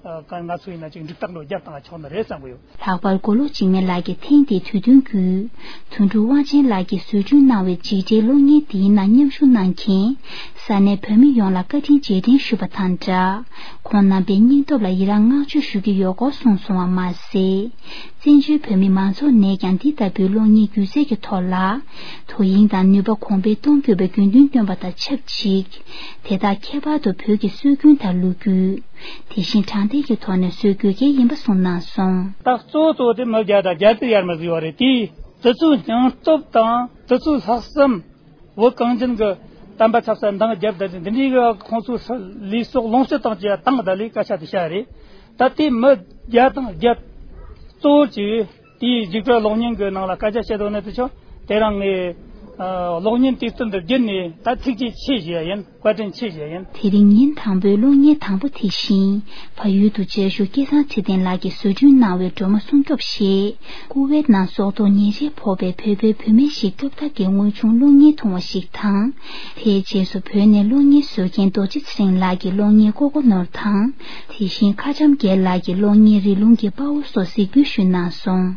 ང་ཚོ་ཡིན་ན་ཅིག་འགྲིག་རྟགས་འགྲོ་རྒྱབ་བཏང་ཆོག་ནི་རེད་བསམ་གི་ཡོད། ལྷག་པར་མགོ་ལོག་འཇིགས་མེད་ལགས་ཀྱིས་ཐེངས་འདིའི་དུས་སྟོན་བརྒྱུད། དོན་གྲུབ་དབང་ཆེན་ལགས་ཀྱིས་བཟོ་སྐྲུན་གནང་བའི་འཇིགས་བྲལ་གློག་བརྙན་འདིའི་ནང་མཉམ་ཞུགས་གནང་མཁན་ས་གནས་བོད་མི་ཡོངས་ལ་བཀའ་དྲིན་རྗེས་དྲན་ཞུས་པ་དང་སྦྲགས། ཁོང་རྣམ་པའི་སྙིང་སྟོབས་ལ་ཡི་རང་བསྔགས་བརྗོད་ཞུ་གི་ཡོད་སྐོར་གསུངས་སོང་བ་མ་ཟད། བཙན་བྱོལ་བོད་མི་མང་ཚོགས་ནས་ཀྱང་འདི་ལྟ་བུའི་གློག་བརྙན་སྒྱུ་རྩལ་གྱི་ཐོག་ལ་དོ་དབྱིངས་དང་ནུས་པ་གོང་འཕེལ་གཏོང་དགོས་པའི་དགོས་འདུན་བཏོན་པ་དང་ཆབས་ཅིག་དེ་དག་ཁྱད་པར་དུ་བོད་ཀྱི་སྲོལ་རྒྱུན་དང་ལོ་རྒྱུས། དེ་བཞིན་དྲང་བདེན་གྱི་ཐོག་ནས་བཟོ་དགོས་གལ་ཡིན་པ་གསུངས་གནང་སོང་། ད་གཙོ་བོ་གཙོ་བོ་དེ་མི་བརྒྱ་དང་བརྒྱད་ཅུ་ཡར་མར་ཟིག་ཡོད་རེད་དེ། དེ་ཚོའི་སྙིང་སྟོབས་དང་དེ་ཚོའི་ལྷག་བསམ། བོད་གངས་ཅན་གྱི་བསྟན་པ་ཆབ་སྲིད་འདང་རྒྱབ་ད་འདི་འདྲའི་གི་ཁོང་ཚོའི་ལུས་སྲོག་ལོངས་སྤྱོད་བཏང་བྱས་བཏང་ད་ལས་སྐད་ཆ་དེ་བཤད་རེད། ད་དེ་མི་བརྒྱ་དང་བརྒྱད་གཙོ་བོ་གྱིས། དེའི་འཇིགས་བྲལ་གློག་བརྙན་གྱི་ནང་ལ་སྐད་ཆ་བཤད་དོན་ནི་དེ་ཆོ་དེ་རང་ངས་ཨ་གློག་བརྙན་དུས་སྟོན་དུ་བརྒྱུད་ནས་ད་ཐུགས་རྗེ་ཆེ་ཞུ་ཡ་ཡིན། བཀའ་དྲིན་ཆེ་ཞུ་ཡ་ཡིན། དེ་རིང་ཉིན་དང་པོའི་གློག་བརྙན་དང་པོ་དེ་བཞིན་བལ་ཡུལ་དུ་མཇལ་བཞུགས་སྐལ་བཟང་ཚེ་བརྟན་ལགས་ཀྱིས་བཟོ་སྐྲུན་གནང་བའི་སྒྲོལ་མ་སྲུང་སྐྱོབ་ཞེས་ཀུ་ཝེད་ནང་སྲོག་ཐོག་ཉེས་ཆད་ཕོག་པའི་བོད་པའི་བུད་མེད་ཞིག་སྐྱོབ་ཐབས་ཀྱི་དངོས་བྱུང་གློག་བརྙན་ཐུང་བ་ཞིག་དང་། དེའི་རྗེས་སུ་བོད་ནས་གློག་བརྙན་བཟོ་མཁན་རྡོ་རྗེ་ཚེ་རིང་ལགས་ཀྱི་གློག་བརྙན་ཀོ་ཀོ་ནོར་དང་། དེ་བཞིན་མཁའ་བྱམས་རྒྱལ་ལགས་ཀྱི་གློག་བརྙན་རི་ལུང་གི་དཔའ་བོ་སོགས་གཟིགས་འབུལ་ཞུས་གནང་སོང་།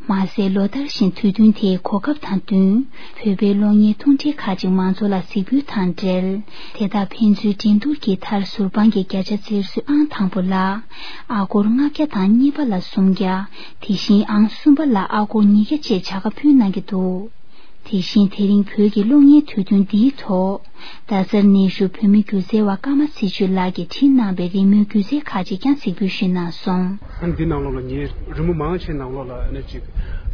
མ་ཟད་ལོ་ལྟར་བཞིན་དུས་སྟོན་དེའི་གོ་སྐབས་དང་བསྟུན། བོད་པའི་གློག་བརྙན་ཐུང་གྲས་ཁག་ཅིག་མང་ཚོགས་ལ་གཟིགས་འབུལ་དང་འབྲེལ། དེ་དག་ཕན་ཚུན་འགྲན་བསྡུར་གྱི་མཐར་ཟུར་དཔང་གི་བརྒྱ་ཆ་རྩེར་སོན་ཨང་དང་པོ་ལ་ཨ་སྒོར་ལྔ་བརྒྱ་དང་གཉིས་པ་ལ་སུམ་བརྒྱ། དེ་བཞིན་ཨང་གསུམ་པ་ལ་ཨ་སྒོར་ཉིས་བརྒྱ་བཅས་བྱ་དགའ་ཕུལ་གནང་གི་འདུག་དེ་བཞིན་དེ་རིང་བོད་ཀྱི་གློག་བརྙན་དུས་སྟོན་འདིའི་ཐོག་རྡ་སར་གནས་བཞུགས་བོད་མི་སྒྱུ་རྩལ་བ་ཀརྨ་ཚེ་ཆོས་ལགས་ཀྱིས་བྲིས་གནང་བའི་རི་མོའི་སྒྱུ་རྩལ་ཁག་ཅིག་ཀྱང་གཟིགས་འབུལ་ཞུས་གནང་སོང་། འདི་ནང་ལོགས་ལ་ངའི་རི་མོ་མང་ཆེ་ནང་ལོགས་ལ་ཨ་ནི་ཅིག་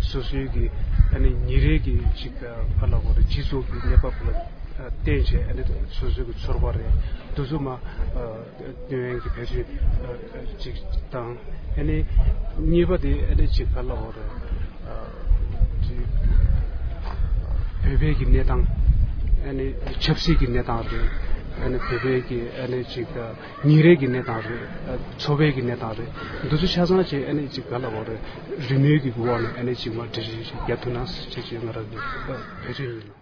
སོ་སོའི་གི་ཨ་ནི་ཉིན་རེའི་གི་ཅིག་ག་ལ་བ་རེད། སྤྱི་ཚོགས་ཀྱི་གནས་བབ་ལ་བརྟེན་བྱས་ཨ་ནི་སོ་སོའི་གི་ཚོར་བ་རེད། འདི་ཚོ་མ་སྟོན་གི་བེད་སྤྱོད་ཅིག་དང་། ཨ་ནི་གཉིས་པ་དེ་ཨ་ནི་ཅིག་ག་ལ་བ་རེད། ཅིག་བོད་པའི་གི་གནས་སྟངས། ཨ་ནི་ཆབ་སྲིད་ཀྱི་གནས་སྟངས་རེད། ཨ་ནི་བོད་པའི་གི་ཨ་ནི་ཅིག་ཉིན་རེའི་གི་གནས་སྟངས་རེད། འཚོ་བའི་གི་གནས་སྟངས་རེད། འདི་ཚོ་ཆ་ཚང་བྱས་ཨ་ནི་ཅིག་ག་ལ་བ་རེད། རི་མོའི་གི་འོག་ནས་ཨ་ནི་ཅིག་མ་འབྲི་ཞིག་རྒྱབ་ཐུབ་ན་ཟེར་ཅིག་ང་རང་གི་བེད་སྤྱོད་ཡིན།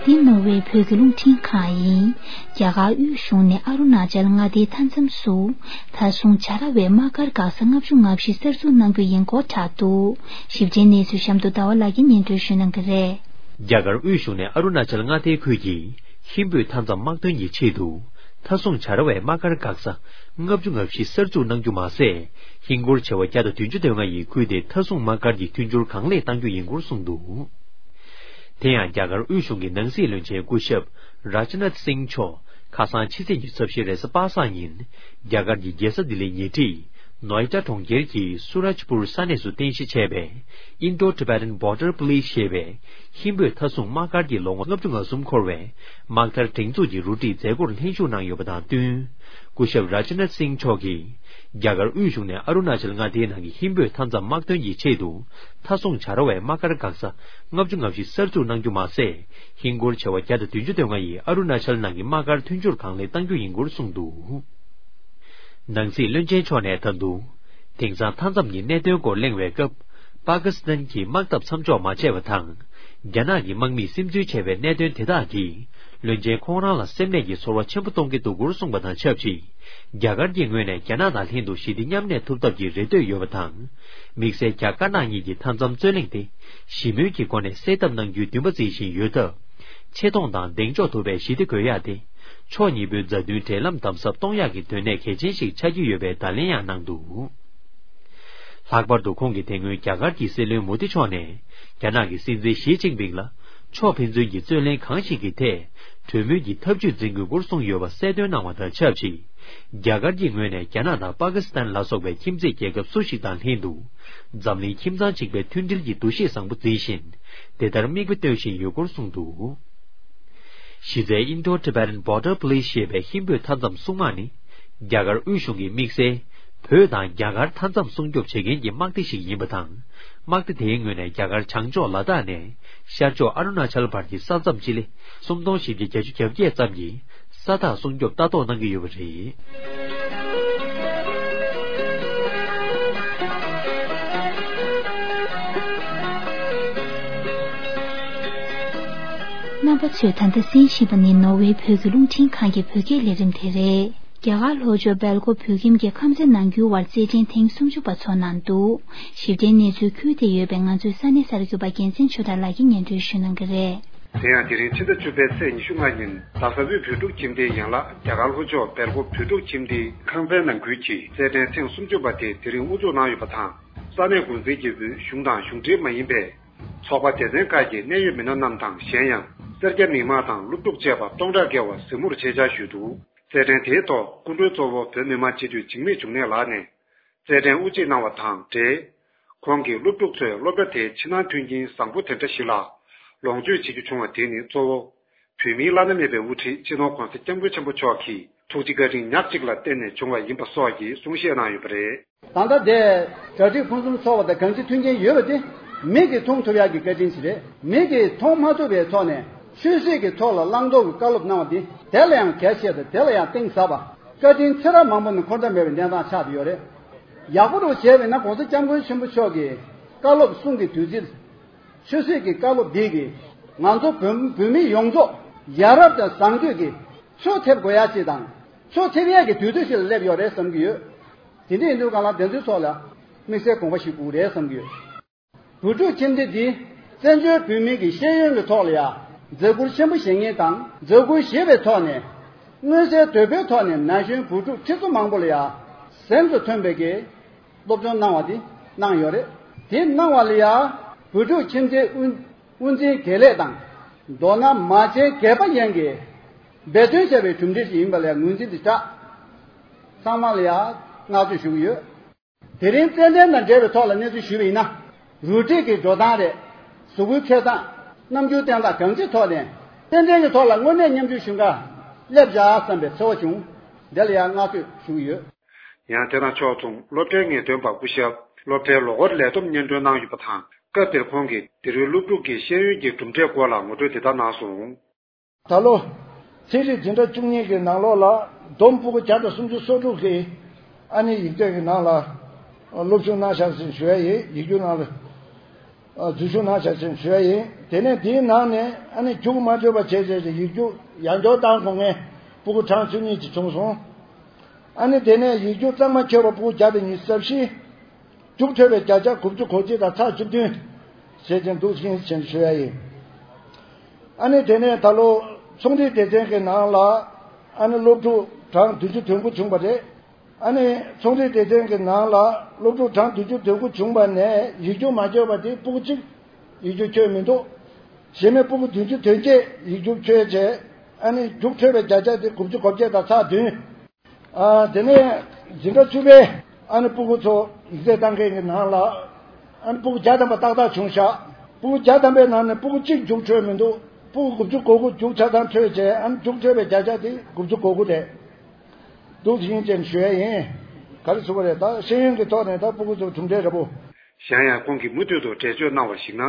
འདི་ནོར་ཝེ་བོད་ཀྱི་རླུང་འཕྲིན་ཁང་ཡིན། རྒྱ་གར་དབུས་གཞུང་ནས་ཨ་རུ་ན་ཅལ་མངའ་སྡེའི་མཐའ་མཚམས་སུ་མཐའ་སྲུང་བྱ་ར་བའི་དམག་སྒར་འགག་ས་ལྔ་བཅུ་ང་བཞི་གསར་འཛུགས་གནང་རྒྱུ་ཡིན་སྐོར་བསྒྲགས་འདུག་ཞིབ་ཕྲའི་གནས་ཚུལ་གཤམ་དུ་ཟླ་བ་ལགས་ཀྱིས་སྙན་སྒྲོན་ཞུ་གནང་གི་རེད། རྒྱ་གར་དབུས་གཞུང་ནས་ཨ་རུ་ན་ཅལ་མངའ་སྡེའི་ཁུལ་གྱི་ཧིན་བོད་མཐའ་མཚམས་དམག་དོན་གྱི་ཆེད་དུ་མཐའ་སྲུང་བྱ་ར་བའི་དམག་སྒར་འགག་ས་ལྔ་བཅུ་ང་བཞི་གསར་འཛུགས་གནང་རྒྱུ་མ་ཟད། ཧིན་སྒོར་བྱེ་བ་བརྒྱ་དང་བདུན་ཅུ་དོན་ལྔ་ཡི་ཁུལ་དེ་མཐའ་སྲུང་དམག་སྒར་གྱི་མཐུན་འགྱུར་གང་ལེགས་གཏང་རྒྱུ་ཡིན་སྐོར་གསུངས་འདུག་དེ་ཡང་རྒྱ་གར་དབུས་གཞུང་གི་ནང་སྲིད་བློན་ཆེན་སྐུ་ཞབས་ར་ཇི་ནཱཐ་སིང་མཆོག་ཁ་སང་ཕྱི་ཚེས་ཉི་ཤུ་རྩ་བཞི་རེས་གཟའ་པ་སངས་ཉིན་རྒྱ་གར་གྱི་རྒྱལ་ས་ལྡི་ལིའི་ཉེ་འཁྲིས་ནོའེ་ཌ་གྲོང་ཁྱེར་གྱི་སུ་རཱཇ་པུར་ས་གནས་སུ་རྟེན་གཞི་བྱས་པའི་Indo-Tibetan Border Police ཞེས་པའི་ཧིན་བོད་མཐའ་སྲུང་དམག་སྒར་གྱི་ལོ་ངོ་ལྔ་བཅུ་ང་གསུམ་འཁོར་བའི་དམག་དར་སྒྲེང་འཛུགས་ཀྱི་རུ་སྒྲིག་མཛད་སྒོར་ལྷན་ཞུགས་གནང་ཡོད་པ་དང་བསྟུན། སྐུ་ཞབས་ར་ཇི་ནཱཐ་སིང་མཆོག་གིས། རྒྱ་གར་དབུས་གཞུང་ནས་ཨ་རུ་ན་ཅལ་མངའ་སྡེའི་ནང་གི་ཧིན་བོད་མཐའ་མཚམས་དམག་དོན་གྱི་ཆེད་དུ་མཐའ་སྲུང་བྱ་ར་བའི་དམག་སྒར་འགག་ས་ལྔ་བཅུ་ང་བཞི་གསར་འཛུགས་གནང་རྒྱུ་མ་ཟད། ཧིན་སྒོར་བྱེ་བ་བརྒྱ་དང་བདུན་ཅུ་དོན་ལྔ་ཡིས་ཨ་རུ་ན་ཅལ་ནང་གི་དམག་སྒར་མཐུན་སྦྱོར་གང་ལེགས་གཏང་རྒྱུ་ཡིན་སྐོར་གསུངས་འདུག། ནང་སྲིད་བློན་ཆེན་མཆོག་ནས་ད་དུང་། དེང་སང་མཐའ་མཚམས་ཀྱི་གནད་དོན་སྐོར་གླེང་བའི་སྐབས། པ་ཀི་སི་ཐན་གྱིས་དམག་འཐབ་མཚམས་འཇོག་མ་བྱས་པ་དང་། རྒྱ་ནག་གི་དམག་མིས་སིམ་འཛུལ་བྱས་པའི་གནད་དོན་དེ་དག་གིས། བློན་ཆེན་ཁོང་རང་ལ་སེམས་ནད་ཀྱི་ཚོར་བ་ཆེན་པོ་གཏོང་གི་འདུག་སྐོར་གསུངས་པ་དང་ཆབས་ཅིག། རྒྱ་གར་གྱི་ངོས་ནས་རྒྱ་ནག་དང་ལྷན་དུ་ཞི་བདེ་མཉམ་གནས་ཐུབ་ཐབས་ཀྱི་རེ་འདོད་ཡོད་པ་དང་། དམིགས་བསལ་རྒྱ་དཀར་ནག་གཉིས་ཀྱི་མཐའ་མཚམས་རྩོད་གླེང་དེ། ཞི་མོལ་གྱི་སྒོ་ནས་སེལ་ཐབས་གནང་རྒྱུའི་འདུན་པ་འཛིན་བཞིན་ཡོད་སྟབས། ཆེ་མཐོང་དང་གདེང་འཇོག་ཐུབ་པའི་ཞི་བདེ་དགོས་ཡག་དེ། ཕྱོགས་གཉིས་པོའི་མཛའ་མཐུན་འབྲེལ་ལམ་དམ་ཟབ་གཏོང་ཡག་གི་དོན་གནད་གལ་ཆེན་ཞིག་ཆགས་ཀྱི་ཡོད་པའི་བརྡ་ལན་ཡང་གནང་འདུག། ལྷག་པར་དུ་ཁོང་གིས་དེ་སྔོན་རྒྱ་གར་གྱི་སྲིད་བློན་མོ་དི་མཆོག་ནས། རྒྱ་ནག་གི་སྲིད་འཛིན་ཞི་ཅིན་ཕིང་ལ། ཕྱོགས་ཕན་ཚུན་གྱི་རྩོད་གླེང་གང་ཞིག་གི་ཐད། གྲོས་མོལ་གྱི་ཐབས་ཇུས་འཛིན་དགོས་སྐོར་གསུངས་ཡོད་པ་གསལ་སྟོན་གནང་བ་དང་ཆབས་ཅིག། རྒྱ་གར་གྱི་ངོས་ནས་རྒྱ་ནག་དང་པ་ཀི་སི་ཐན་ལ་སོགས་པའི་ཁྱིམ་མཚེས་རྒྱལ་ཁབ་སུ་ཞིག་དང་ལྷན་དུ། འཛམ་གླིང་ཁྱིམ་ཚང་གཅིག་པའི་མཐུན་སྒྲིལ་གྱི་འདུ་ཤེས་བཟང་པོ་འཛིན་བཞིན། དེ་ལྟར་མིག་དཔེ་སྟོན་བཞིན་ཡོད་སྐོར་གསུངས་འདུག། གཞི་རྩའི་Indo-Tibetan Border Police ཞེས་པའི་ཧིན་བོད་མཐའ་མཚམས་སྲུང་དམག་ནི། རྒྱ་གར་དབུས་གཞུང་གི་དམིགས་བསལ། བོད་དང་རྒྱ་གར་མཐའ་མཚམས་སྲུང་སྐྱོབ་བྱེད་མཁན་གྱི་དམག་སྡེ་ཞིག་ཡིན་པ་དང་། དམག་སྡེ་དེའི་ངོས་ནས་རྒྱ་གར་བྱང་ཕྱོགས་ལ་དྭགས་ནས་ཤར་ཕྱོགས་ཨ་རུ་ན་ཅལ་བར་གྱི་ས་མཚམས་སྤྱི་ལེ་སུམ་སྟོང་བཞི་བརྒྱ་གྱ་བརྒྱད་ཙམ་གྱི་ས་ཐག་སྲུང་སྐྱོབ་ལྟ་རྟོག་གནང་གི་ཡོད་པ་རེད། རྣམ་པ་ཚོས་ད་ལྟ་གསན་བཞིན་པ་ནི་ནོར་ཝེ་བོད་ཀྱི་རླུང་འཕྲིན་ཁང་གི་བོད་སྐད་ལས་རིམ་དེ་རེད། རྒྱ་གར་ལྷོ་ཕྱོགས་སྦེལ་ཀོབ་བོད་ཁྱིམ་གྱི་ཁམས་ཚན་ནང་ཁུལ་བར་རྩེད་འགྲན་ཐེངས་སུམ་ཅུ་པ་འཚོགས་གནང་འདུག། ཞིབ་ཕྲའི་གནས་ཚུལ་ཁུལ་དེ་ཡོད་པའི་ང་ཚོའི་ས་གནས་གསར་འགོད་པ་རྒྱལ་མཚན་ཆོས་གྲགས་ལགས་ཀྱིས་སྙན་སྒྲོན་ཞུ་གནང་གི་རེད། དེ་ཡང་དེ་རིང་ཕྱི་ཟླ་བཅུ་པའི་ཚེས་ཉི་ཤུ་ལྔ་ཉིན་རྡ་ས་དབུས་བོད་ཕྲུག་ཁྱིམ་སྡེའི་ཡན་ལག་རྒྱ་གར་ལྷོ་ཕྱོགས་སྦེལ་ཀོབ་བོད་ཕྲུག་ཁྱིམ་སྡེའི་ཁང་ཚན་ནང་ཁུལ་གྱི་རྩེད་འགྲན་ཐེངས་སུམ་ཅུ་པ་དེ་དེ་རིང་དབུ་འཛུགས་གནང་ཡོད་པ་དང་། ས་གནས་འགོ་འཛིན་གྱིས་དབུས་གཞུང་དང་གཞུང་འབྲེལ་མ་ཡིན་པའི་ཚོགས་པ་སྡེ་ཚན་ཁག་གི་གནད་ཡོད་མི་སྣ་རྣམས་དང་། གཞན་ཡང་སེར་སྐྱ་མི་མང་དང་སློབ་ཕྲུག་བཅས་པ་སྟོང་ཕྲག་བརྒལ་བ་གཟིགས་མོར་ཆེད་བཅར་ཞུས་འདུག། རྩེད་འགྲན་དེའི་ཐོག་སྐུ་མགྲོན་གཙོ་བོ་བོད་མི་མང་སྤྱི་འཐུས་འཇིགས་མེད་འབྱུང་གནས་ལགས་ནས་རྩེད་འགྲན་དབུ་འབྱེད་གནང་བ་དང་འབྲེལ། ཁོང་གིས་སློབ་ཕྲུག་ཚོས་སློབ་གྲྭ་དེའི་ཕྱི་ནང་མཐུན་རྐྱེན་བཟང་པོ་དེ་འདྲ་ཞིག་ལ་ལོངས་སྤྱོད་བྱེད་རྒྱུ་བྱུང་བ་དེ་ནི་གཙོ་བོ། བོད་མིའི་བླ་ན་མེད་པའི་དབུ་ཁྲིད་སྤྱི་ནོར་༧གོང་ས་༧སྐྱབས་མགོན་ཆེན་པོ་མཆོག་གི་ཐུགས་རྗེ་བཀའ་དྲིན་ཉག་གཅིག་ལ་བརྟེན་ནས་བྱུང་བ་ཡིན་པ་སོགས་ཀྱི་གསུང་བཤད་གནང་ཡོད་པ་རེད། ད་ལྟ་དེ་གྲ་སྒྲིག་ཕུན་སུམ་ཚོགས་པ་དང་གང་ཅི་མཐུན་རྐྱེན་ཡོད་པ་དེ་མིག་གིས་མཐོང་ཐུབ་ཡག་གི་བཀའ་དྲིན་ཞིག་རེད། མིག་གིས་མཐོང་མ་ཐུབ་པའི་ཐོག་ནས་ཆོས་སྲིད་ཀྱི་ཐོག་ལ་བླང་དོར་གྱི་བཀའ་སློབ་གནང་བ་དེ་དེ་ལ་ཡང་གལ་ཆེ་དང་དེ་ལ་ཡང་གཏིང་ཟབ་པ། བཀའ་དྲིན་ཚེ་རབས་མང་པོ་ནས་འཁོར་ཐབས་མེད་པའི་གནས་སྟངས་ཆགས་བསྡད་ཡོད་རེད། ཡག་པོ་རུ་བྱས་པས་ན་༧གོང་ས་༧སྐྱབས་མགོན་ཆེན་པོ་མཆོག་གི་བཀའ་སློབ་གསུང་གི་བདུད་རྩི། ཆོས་སྲིད་ཀྱི་བཀའ་སློབ་འདི་གིས་ང་ཚོ་བོད་བོད་མི་ཡོངས་རྫོགས་ཡ་རབས་དང་བཟང་སྤྱོད་ཀྱི་ཕྱོགས་ཐེབས་དགོས་ཡ་ཅིག་དང་ཕྱོགས་ཐེབས་ཡས་ཀྱི་དུས་ཚོད་ཞིག་ལ་སླེབས་ཡོད་རེད་བསམ་གྱི་ཡོད། དེ་འདྲ་ཡིན་དུས་གང་ལ་དེ་ཚོའི་ཐོག་ལ་དམིགས་བསལ་དགོངས་པ་ཞིག་དགོས་རེད་བསམ་གྱི་ཡོད། བོད་ཕྲུག་ཁྱིམ་སྡེ་འདི་བཙན་བྱོལ་བོད་མི་གི་ཤེས་ཡོན་གྱི་ཐོག་ལ་ཡ་མཛད་ཁུར་ཆེན་པོ་བཞེས་མཁན་དང་མཛད་ཁུར་བཞེས་པའི་ཐོག་ནས་མངོན་གསལ་དོད་པོའི་ཐོག་ནས་ན་གཞོན་བོད་ཕྲུག་ཁྲི་ཚོ་མང་པོ་ལ་ཡ་གཟེངས་སུ་ཐོན་པའི་གི་སློབ་སྦྱོང་གནང་བ་འདི་གནང་ཡོད་རེད། དེ་གནང་བ་ལ་ཡ་བོད་ཕྲུག་ཁྱིམ་སྡེའི་དབུ་དབུ་འཛིན་དགེ་ལས་དང་མདོར་ན་མ་བྱན་དགེ་བ་ཡན་གྱིས་འབད་བརྩོན་བྱས་པའི་གྲུབ་འབྲས་ཤིག་ཡིན་པ་ལ་ཡ་ངོས་འཛིན་དེ་དྲག། ཚང་མ་ལ་ཡ་བསྔགས་བརྗོད་ཞུ་གི་ཡོད། དེ་རིང་རྩེད་འགྲན་དང་འབྲེལ་བའི་ཐོག་ལ་གནས་ཚུལ་ཞུས་པ་ཡིན་ན། རུ་སྒྲིག་གི་འགྲོ་སྟངས་རེད། གཟུགས་པོའི་འཕེལ་སྟངས། རྣམ་འགྱུར་བསྟན་སྟངས་གང་ཅིའི་ཐོག་ནས་རྩེད་འགྲན་གྱི་ཐོག་ལ་དངོས་གནས་མཉམ་ཞུགས་ཞུ་འགའ་སླེབས་བཞག་བསམ་པའི་ཚོར་བ་བྱུང་། དེ་ལ་ཡང་བསྔགས་བརྗོད་ཞུ་གི་ཡོད། ཡང་དེ་དང་ཕྱོགས་མཚུངས་སློབ་གྲྭའི་ངེས་སྟོན་པ་སྐུ་ཞབས་སློབ་གྲྭའི་ལོ་འཁོར་ལས་བསྡོམས་སྙན་སྒྲོན་གནང་ཡོད་པ་དང་། སྐབས་དེར་ཁོང་གིས་དེ་རིང་སློབ་ཕྲུག་གི་ཤེས་ཡོན་གྱི་གྲུབ་འབྲས་སྐོར་ལ་ངོ་སྤྲོད་འདི་ལྟར་གནང་སོང་། ད་ལོ། ཚན་རིག་འཛིན་གྲྭ་བཅུ་གཉིས་ཀྱི་ནང་ལོགས་ལ་བསྡོམས་ཕྲུ་གུ་བརྒྱ་དང་སུམ་ཅུ་སོ་དྲུག་གིས་ཨ་ནི་ཡིག་ཚད་ཀྱི་ནང་ལ་སློབ་ཞུགས་གནང་བཞག་ཟིན་ཞུ་ཡ་ཡིན། ཡིག་རྒྱུགས་ནང་ལ་འཛུལ་ཞུགས་གནང་བཞག་ཟིན་ཞུ་ཡ་ཡིན། དེ་ནས་དེའི་ནང་ནས་ཨ་ནི་རྒྱུགས་མ་འཕྲོད་པ་བྱས་བྱས་ཀྱི་ཡིག་རྒྱུགས་ཡར་འགྱོག་བཏང་དགོས་མཁན་ཕྲུ་གུ་གྲངས་བཅུ་གཉིས་ཅིག་བྱུང་སོང་། ཨ་ནི་དེ་ནས་ཡིག་རྒྱུགས་གཙང་མ་འཁྱོལ་བ་ཕྲུ་གུ་བརྒྱ་དང་ཉི་ཤུ་རྩ་བཞི། རྒྱུགས་འཕྲོད་པའི་བརྒྱ་ཆ་དགུ་བཅུ་གོ་གཅིག་དང་ཚེག་བཅུ་བདུན་བྱས་ཅན་འདུག་ཟིན་ཞུ་ཡ་ཡིན། ཨ་ནི་དེ་ནས་ད་ལོ་ཚོང་འབྲེལ་སྡེ་ཚན་གྱི་ནང་ལ་ཨ་ནི་སློབ་ཕྲུག་གྲངས་བདུན་ཅུ་དོན་དགུ་བྱུང་བ་རེད། ཨ་ནི་ཚོང་འབྲེལ་སྡེ་ཚན་གྱི་ནང་ལ་སློབ་ཕྲུག་གྲངས་བདུན་ཅུ་དོན་དགུ་བྱུང་བ་ནས་ཡིག་རྒྱུགས་མ་འཁྱོལ་བ་དེ་ཕྲུ་གུ་གཅིག་ཡིག་རྒྱུགས་འཁྱོལ་མི་འདུག། གཞན་མི་ཕྲུ་གུ་བདུན་ཅུ་དོན་བརྒྱད་ཡིག་རྒྱུགས་འཁྱོལ་བྱས་ཨ་ནི་རྒྱུགས་འཕྲོད་པའི་བརྒྱ་ཆ་དེ་དགུ་བཅུ་གོ་བརྒྱད་དང་ཚེག་བདུན། ཨ། དེ་ནས་འཛིན་གྲྭ་བཅུ་པའི་ཨ་ནི་ཕྲུ་གུ་ཚོ་ཡིག་ཚད་བཏང་མཁན་གྱི་ནང་ལ་ཨ་ནི་ཕྲུ་གུ་བརྒྱ་ཐམ་པ་ཏག་ཏག་བྱུང་ཤག། ཕྲུ་གུ་བརྒྱ་ཐམ་པའི་ནང་ནས་ཕྲུ་གུ་གཅིག་རྒྱུགས་འཕྲོད་མི་འདུག། ཕྲུ་གུ་དགུ་བཅུ་གོ་དགུ་རྒྱུགས་ཆ་ཚང་འཕྲོད་བྱས་ཨ་ནི་རྒྱུགས་འཕྲོད་པའི་བརྒྱ་ཆ་དེ་དགུ་བཅུ་གོ་དགུ་རེད། འདུག་ཟིན་ཅན་ཞུ་ཡ་ཡིན། ག་རེ་ཟེར་བ་རེད། ད་ཤེས་ཡོན་གྱི་ཐོག་ནས་ད་སྤུ་གུ་ཚོ་གྲུབ་འབྲས་རེད་པོ། གཞན་ཡང་ཁོང་གིས་མུ་མཐུད་དུ་འགྲེལ་བརྗོད་གནང་བར་གཞིགས་ན།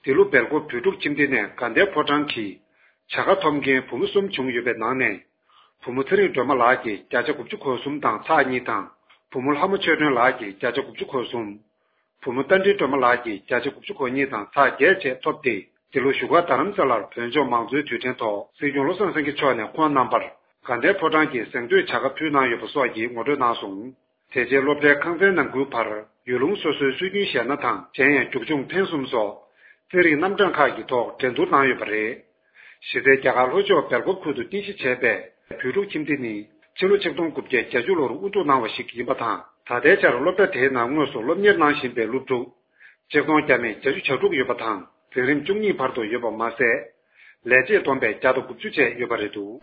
འདི་ལོ་སྦེལ་ཀོབ་བོད་ཕྲུག་ཁྱིམ་སྡེ་ནས་དགའ་ལྡན་ཕོ་བྲང་གི་བྱ་དགའ་ཐོབ་མཁན་བུ་མོ་གསུམ་བྱུང་ཡོད་པའི་ནང་ནས། བུ་མོ་ཚེ་རིང་སྒྲོལ་མ་ལགས་ཀྱིས་བརྒྱ་ཆ་དགུ་བཅུ་གོ་གསུམ་དང་ཚེག་གཉིས་དང་། བུ་མོ་ལྷ་མོ་ཆོས་སྒྲོན་ལགས་ཀྱིས་བརྒྱ་ཆ་དགུ་བཅུ་གོ་གསུམ། བུ་མོ་རྟ་མགྲིན་སྒྲོལ་མ་ལགས་ཀྱིས་བརྒྱ་ཆ་དགུ་བཅུ་གོ་གཉིས་དང་ཚེག་བརྒྱད་བཅས་ཐོབ་སྟེ། འདི་ལོ་བཞུགས་སྒར་རྡ་རམ་ས་ལར་བོད་ལྗོངས་མང་གཙོའི་དུས་དྲན་ཐོག་སྲིད་སྐྱོང་བློ་བཟང་སེང་གེ་མཆོག་ནས་ཁོང་རྣམ་པར་དགའ་ལྡན་ཕོ་བྲང་གི་གཟེངས་བསྟོད་བྱ་དགའ་ཕུལ་གནང་ཡོད་པ་སོགས་ཀྱི་ངོ་སྤྲོད་གནང་སོང་། དེ་རྗེས་སློབ་གྲྭའི་ཁང་ཚན་ནང་ཁུལ་བར་ཡུལ་ལུང་སོ་སོའི་སྲོལ་རྒྱུན་གཞས་སྣ་དང་། གཞན་ཡང་རྒྱུག་མཆོང་འཕེན་གསུམ་སོགས་རྩེད་རིགས་རྣམ་གྲངས་ཁག་གི་ཐོག་འགྲན་བསྡུར་གནང་ཡོད་པ་རེད། གཞི་རྩའི་རྒྱ་གར་ལྷོ་ཕྱོགས་སྦེལ་ཀོབ་ཁུལ་དུ་རྟེན་གཞི་བྱས་པའི་བོད་ཕྲུག་ཁྱིམ་སྡེ་ནི་ཕྱི་ལོ་ཆིག་སྟོང་དགུ་བརྒྱ་བརྒྱད་ཅུ་ལོར་དབུ་འཛུགས་གནང་བ་ཞིག་ཡིན་པ་དང་། ད་ལྟའི་ཆར་སློབ་གྲྭ་དེའི་ནང་དངོས་སུ་སློབ་གཉེར་གནང་བཞིན་པའི་སློབ་ཕྲུག་ཆིག་སྟོང་བརྒྱ་མེད་བརྒྱད་ཅུ་གྱ་དྲུག་ཡོད་པ་དང་། འཛིན་རིམ་བཅུ་གཉིས་བར་དུ་ཡོད་པ་མ་ཟད། ལས་བྱེད་བསྡོམས་པས་བརྒྱ་དང་དགུ་བཅུ་བཅས་ཡོད་པ་རེད་འདུག།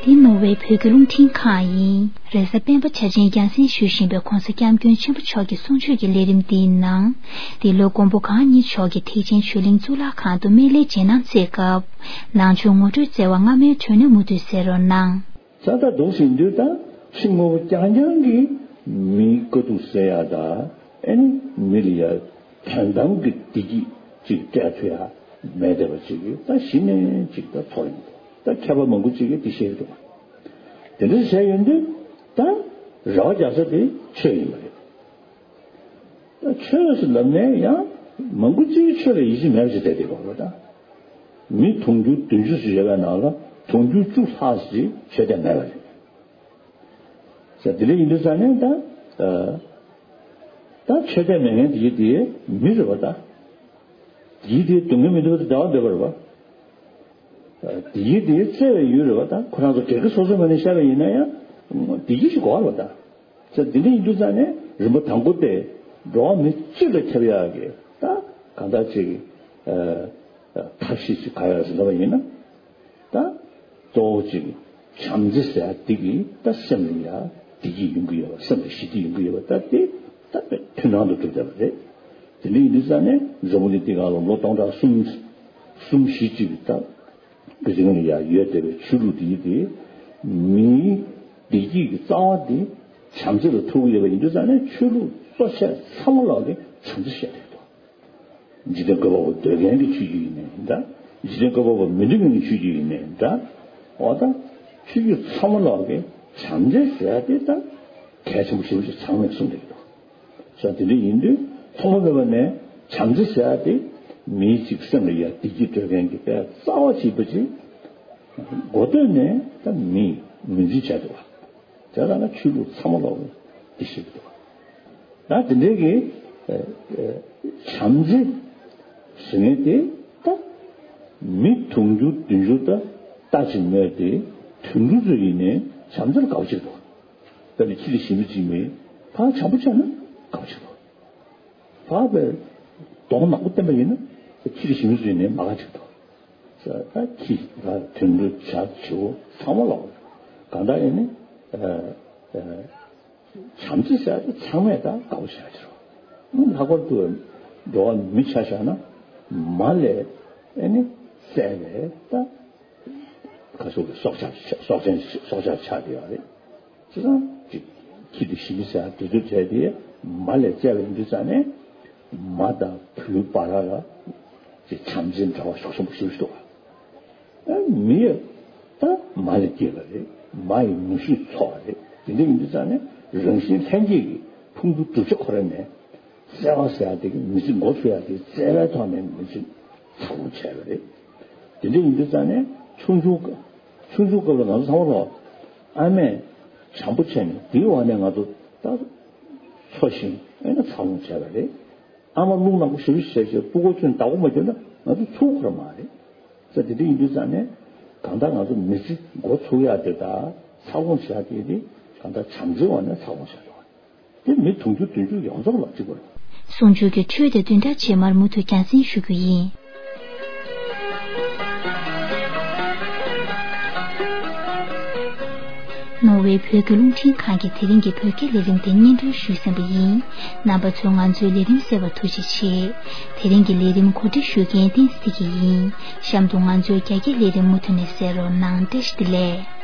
འདི་ནོར་ཝེ་བོད་ཀྱི་རླུང་འཕྲིན་ཁང་ཡིན། རེས་གཟའ་སྤེན་པ་འཆར་ཅན་རྒྱང་སྲིང་ཞུ་བཞིན་པའི་༧གོང་ས་༧སྐྱབས་མགོན་ཆེན་པོ་མཆོག་གི་གསུང་ཆོས་ཀྱི་ལས་རིམ་འདིའི་ནང་། འདི་ལོ་མགོན་པོ་གང་ཉིད་མཆོག་གིས་ཐེག་ཆེན་ཆོས་གླིང་གཙུག་ལག་ཁང་དུ་སྨན་བླའི་རྗེས་གནང་སྩལ་སྐབས། ནང་ཆོས་ངོ་སྤྲོད་སྩལ་བ་སྔ་མའི་དྲི་བ་ནི་མུ་མཐུད་གསན་རོགས་གནང་། ས་མཐའ་འདུག་ཟིན་དུས་ད་ཕྱི་དངོས་པོ་རྐྱང་རྐྱང་གིས་མིའི་དཀའ་སྡུག་སེལ་ཡག་དང་། ཨེ་ནི་མི་ལ་ཡ་དོན་དམ་གྱི་བདེ་སྐྱིད་ཅིག་སྤྲད་ཐུབ་ཡག་མེད་བསྡད་པ་ཅིག་གིས་ད་གཞི་ནས་ཅིག་ད་ཚོར་ཡོང་འདུག། ད་མཁས་པ་མང་པོ་ཅིག་གིས་འདི་བཤད་ཀྱི་འདུག། དེ་འདྲ་བཤད་ཡོང་དུས་ད་རེ་བ་རྒྱག་ས་དེ་ཆོས་ཡིན་པ་རེད། ད་ཆོས་སུ་ལབ་ནས་ཡང་མང་པོ་ཅིག་ཆོས་ལ་ཡིད་ཆེས་མེད་པ་ཞིག་བསྡད་དེ་བ་ད། མི་དུང་ཕྱུར་བདུན་ཅུ་ཞིག་ཡོད་པའི་ནང་ལ་དུང་ཕྱུར་བཅུ་ལྷག་ཞིག་ཆོས་དད་མེད་པ་རེད། ས་དེ་འདྲ་ཡིན་དུས་ཙང་ནས་ད། ད་ཆོས་དད་མེད་མཁན་དེ་དེ་མི་རེད་བ་ད། དེ་དེ་སྡུག་བསྔལ་མི་འདུག་པ་ད་འདྲ་བ་འདོད་པ་རེད་བ། དེ་དེ་བཙལ་བའི་ཡུལ་རེད་བ་ད། ཁོ་རང་ཚོ་སྒེར་གྱི་སོ་སོའི་ངོས་ནས་བཤད་པ་ཡིན་ན་ཡང་དེ་ཞིག་གོ་བ་རེད་བ་ད། ས་འདི་འདྲ་ཡིན་དུས་ཙང་ནས་རིམ་པ་དང་པོ་དེ་འགྲོ་བ་མི་སྤྱི་ལ་ཁྱབ་ཡག་གི་ད་གང་ལྟར་ཅིག་ཐབས་ཤེས་ཅིག་ག་ཡག་ཟེར་ལབ་པ་ཡིན་ན། ད་གཙོ་བོ་ཅིག་བྱམས་བརྩེ་ཟེར་ཡག་འདི་གིས་ད་སེམས་ལ་ཡ་བདེ་སྐྱིད་ཡོང་གི་ཡོད་པ། སེམས་ལ་ཞི་བདེ་ཡོང་གི་ཡོད་པ་ད་དེ་ད་དཔེ་མཐུན་སྣང་དུ་གྲུབ་བསྡད་པ་རེད། དེ་འདྲ་ཡིན་དུས་ཙང་ནས་འཛམ་བུ་གླིང་འདི་སྒང་ལ་ལོ་སྟོང་ཕྲག་གསུམ་གསུམ་བཞི་ཅིག་ད། གི་རིང་ལ་ཡང་ཡོད་བསྡད་པའི་ཆོས་ལུགས་འདི་དེ་མིའི་བདེ་སྐྱིད་ཀྱི་རྩ་བ་དེ་བྱམས་བརྩེ་ལ་ཐུག་གི་ཡོད་པ་ཡིན་དུས་ཙང་ནས་ཆོས་ལུགས་གཙོ་ཆེ་ཚང་མ་ལོག་གི་བྱམས་བརྩེ་བཤད་བསྡད་འདུག། འཇིག་རྟེན་བཀོད་པ་པོ་འདོད་མཁན་གྱི་ཆོས་བརྒྱུད་ཡིན་ནའི་འདྲ། འཇིག་རྟེན་བཀོད་པ་པོ་མི་འདོད་མཁན་གྱི་ཆོས་བརྒྱུད་ཡིན་ནའི་འདྲ། འོ་ད་ཆོས་བརྒྱུད་ཚང་མ་ལོག་གི་བྱམས་བརྩེ་ཟེར་ཡ་དེ་ད་གལ་ཆེན་པོ་ཞེ་པོ་ཅིག་ཚང་མས་གསུངས་བསྡད་ཀྱི་འདུག། ས་དེ་འདྲ་ཡིན་དུས་ཐོག་མ་མེད་པ་ནས་བྱམས་བརྩེ་ཟེར་ཡ་དེ་མིའི་ཅིག་སེམས་ལ་ཡ་བདེ་སྐྱིད་སྤྲོད་མཁན་གྱི་དཔེ་རྩ་བ་གཅིག་པ་ཅིག་འགོ་སྟོད་ནས་ད་མིས་ངོས་འཛིན་བྱས་འདུག་བ། དེ་ལ་ན་ཆོས་ལུགས་ཚང་མ་ལོག་འདི་ཤེས་ཀྱི་འདུག་བ། ད་དེ་འདྲའི་གི་བྱམས་བརྩེ་ཟེར་མཁན་དེ་ད་མི་དུང་ཕྱུར་བདུན་ཅུ་ད་ལྟ་ཅིག་མོས་ཏེ་དུད་འགྲོ་ཚོ་ཡིན་ནའི་བྱམས་བརྩེ་ལ་དགའ་པོ་བྱེད་ཀྱི་འདུག། ད་ནི་ཁྱི་དེ་ཞིམ་པོ་ཅིག་མིན་ཕར་བྱམས་པོ་བྱས་ན་དགའ་པོ་བྱེད་ཀྱི་འདུག། ཕར་བའི་གདོང་ནག་པོ་བསྟན་པ་ཡིན་ན་ཁྱི་དེ་ཞིམ་པོ་ཅིག་ནས་མ་དགའ་བྱེད་ཀྱི་འདུག། ས་ད་ཁྱི་ད་དུད་འགྲོ་བྱ་བྱིའུ་ཚང་མ་ལོག་གང་ལྟར་ཡིན་ནི་བྱམས་བརྩེ་ཟེར་ཡ་དེ་ཚང་མས་ད་དགའ་པོ་བྱེད་ཀྱི་རེད། ལྷག་པར་དུ་འགྲོ་བ་མི་ཆ་བཞག་ན་མ་ལས་ཨེ་ནི་བསད་པའི་ད། ཁ་སོག་གི་སྲོག་ཆགས་སྲོག་ཆགས་སྲོག་ཆགས་ཆགས་བསྡད་ཡོད་རེད། བྱས་ཙང་ཅིག་ཁྱི་དེ་ཞི་མི་ཟེར་དུས་ཚོད་བྱས་ཏེ་མ་ལས་བཙལ་བ་ཡིན་དུས་ཙང་ནས་མ་དང་བུའི་བར་ལ་ཅིག་བྱམས་བརྩེ་འབྲེལ་བ་ཤུགས་ཆེན་པོ་ཞིག་འདུག་བ། ཨ་མི་ཡ་ད་མ་ལས་སྐྱེས་པ་རེད། མ་ཡི་ནུ་ཞོས་འཚོ་བ་རེད། དེ་འདྲ་ཡིན་དུས་ཙང་ནས་རང་བཞིན་ལྷན་སྐྱེས་ཀྱི་ཕུང་པོ་གྲུབ་ཆ་ཁོ་ར་ནས། བརྩེ་བ་ཟེར་ཡ་དེ་གི་མི་ཚེ་འགོ་ཚུགས་ཡ་དེ་བརྩེ་བའི་ཐོག་ནས་མི་ཚེ་འཚར་ལོངས་བྱས་པ་རེད། དེ་འདྲ་ཡིན་དུས་ཙང་ནས་ཆུང་ཆུང་སྐབས་ཆུང་ཆུང་སྐབས་ལ་ང་ཚོ་ཚང་མ་ལོ་ཨ་མས་བྱམས་པོ་བྱས་ནས་དེའི་འོག་ནས་ང་ཚོ་ད་འཚོ་ཞིང་ཨེ་ན་འཚར་ལོངས་བྱས་པ་རེད། ཨ་མ་རླུང་ནག་པོ་ཞེ་པོ་ཞིག་བྱས་བྱས་སྤུ་གུ་ཚོས་བདག་པོ་མ་བརྒྱབ་ན་ང་ཚོ་ཚུགས་ཁོ་ར་མ་རེད། ས་དེ་འདྲ་ཡིན་དུས་ཙང་ནས་གང་ལྟར་ང་ཚོ་མི་ཚེ་འགོ་ཚུགས་ཡ་དེ་དང་འཚར་ལོངས་བྱ་དེ་དེ་གང་ལྟར་བྱམས་བརྩེའི་འོག་ནས་འཚར་ལོངས་བྱ་དགོས། དེ་མི་དུང་ཕྱུར་བདུན་ཅུ་ཡོངས་རྫོགས་ལ་གཅིག་པ་རེད། གསུང་ཆོས་ཀྱི་འཕྲོས་དེ་བདུན་ཕྲག་རྗེས་མར་མུ་མཐུད་རྒྱང་སྲིང་ཞུ་རྒྱུ་ཡིན། ནོར་ཝེ་བོད་ཀྱི་རླུང་འཕྲིན་ཁང་གིས་དེ་རིང་གི་བོད་སྐད་ལས་རིམ་དེ་སྙན་སྒྲོན་ཞུས་ཟིན་པ་ཡིན། རྣམ་པ་ཚོས་ང་ཚོའི་ལས་རིམ་གསན་པར་ཐུགས་རྗེ་ཆེ། དེ་རིང་གི་ལས་རིམ་གོ་སྒྲིག་ཞུ་མཁན་བསྟན་འཛིན་སྐྱིད་ཡིན། གཤམ་དུ་ང་ཚོའི་རྒྱ་སྐད་ལས་རིམ་མུ་མཐུད་ནས་གསན་རོགས་གནང་། བཀྲ་ཤིས་བདེ་ལེགས།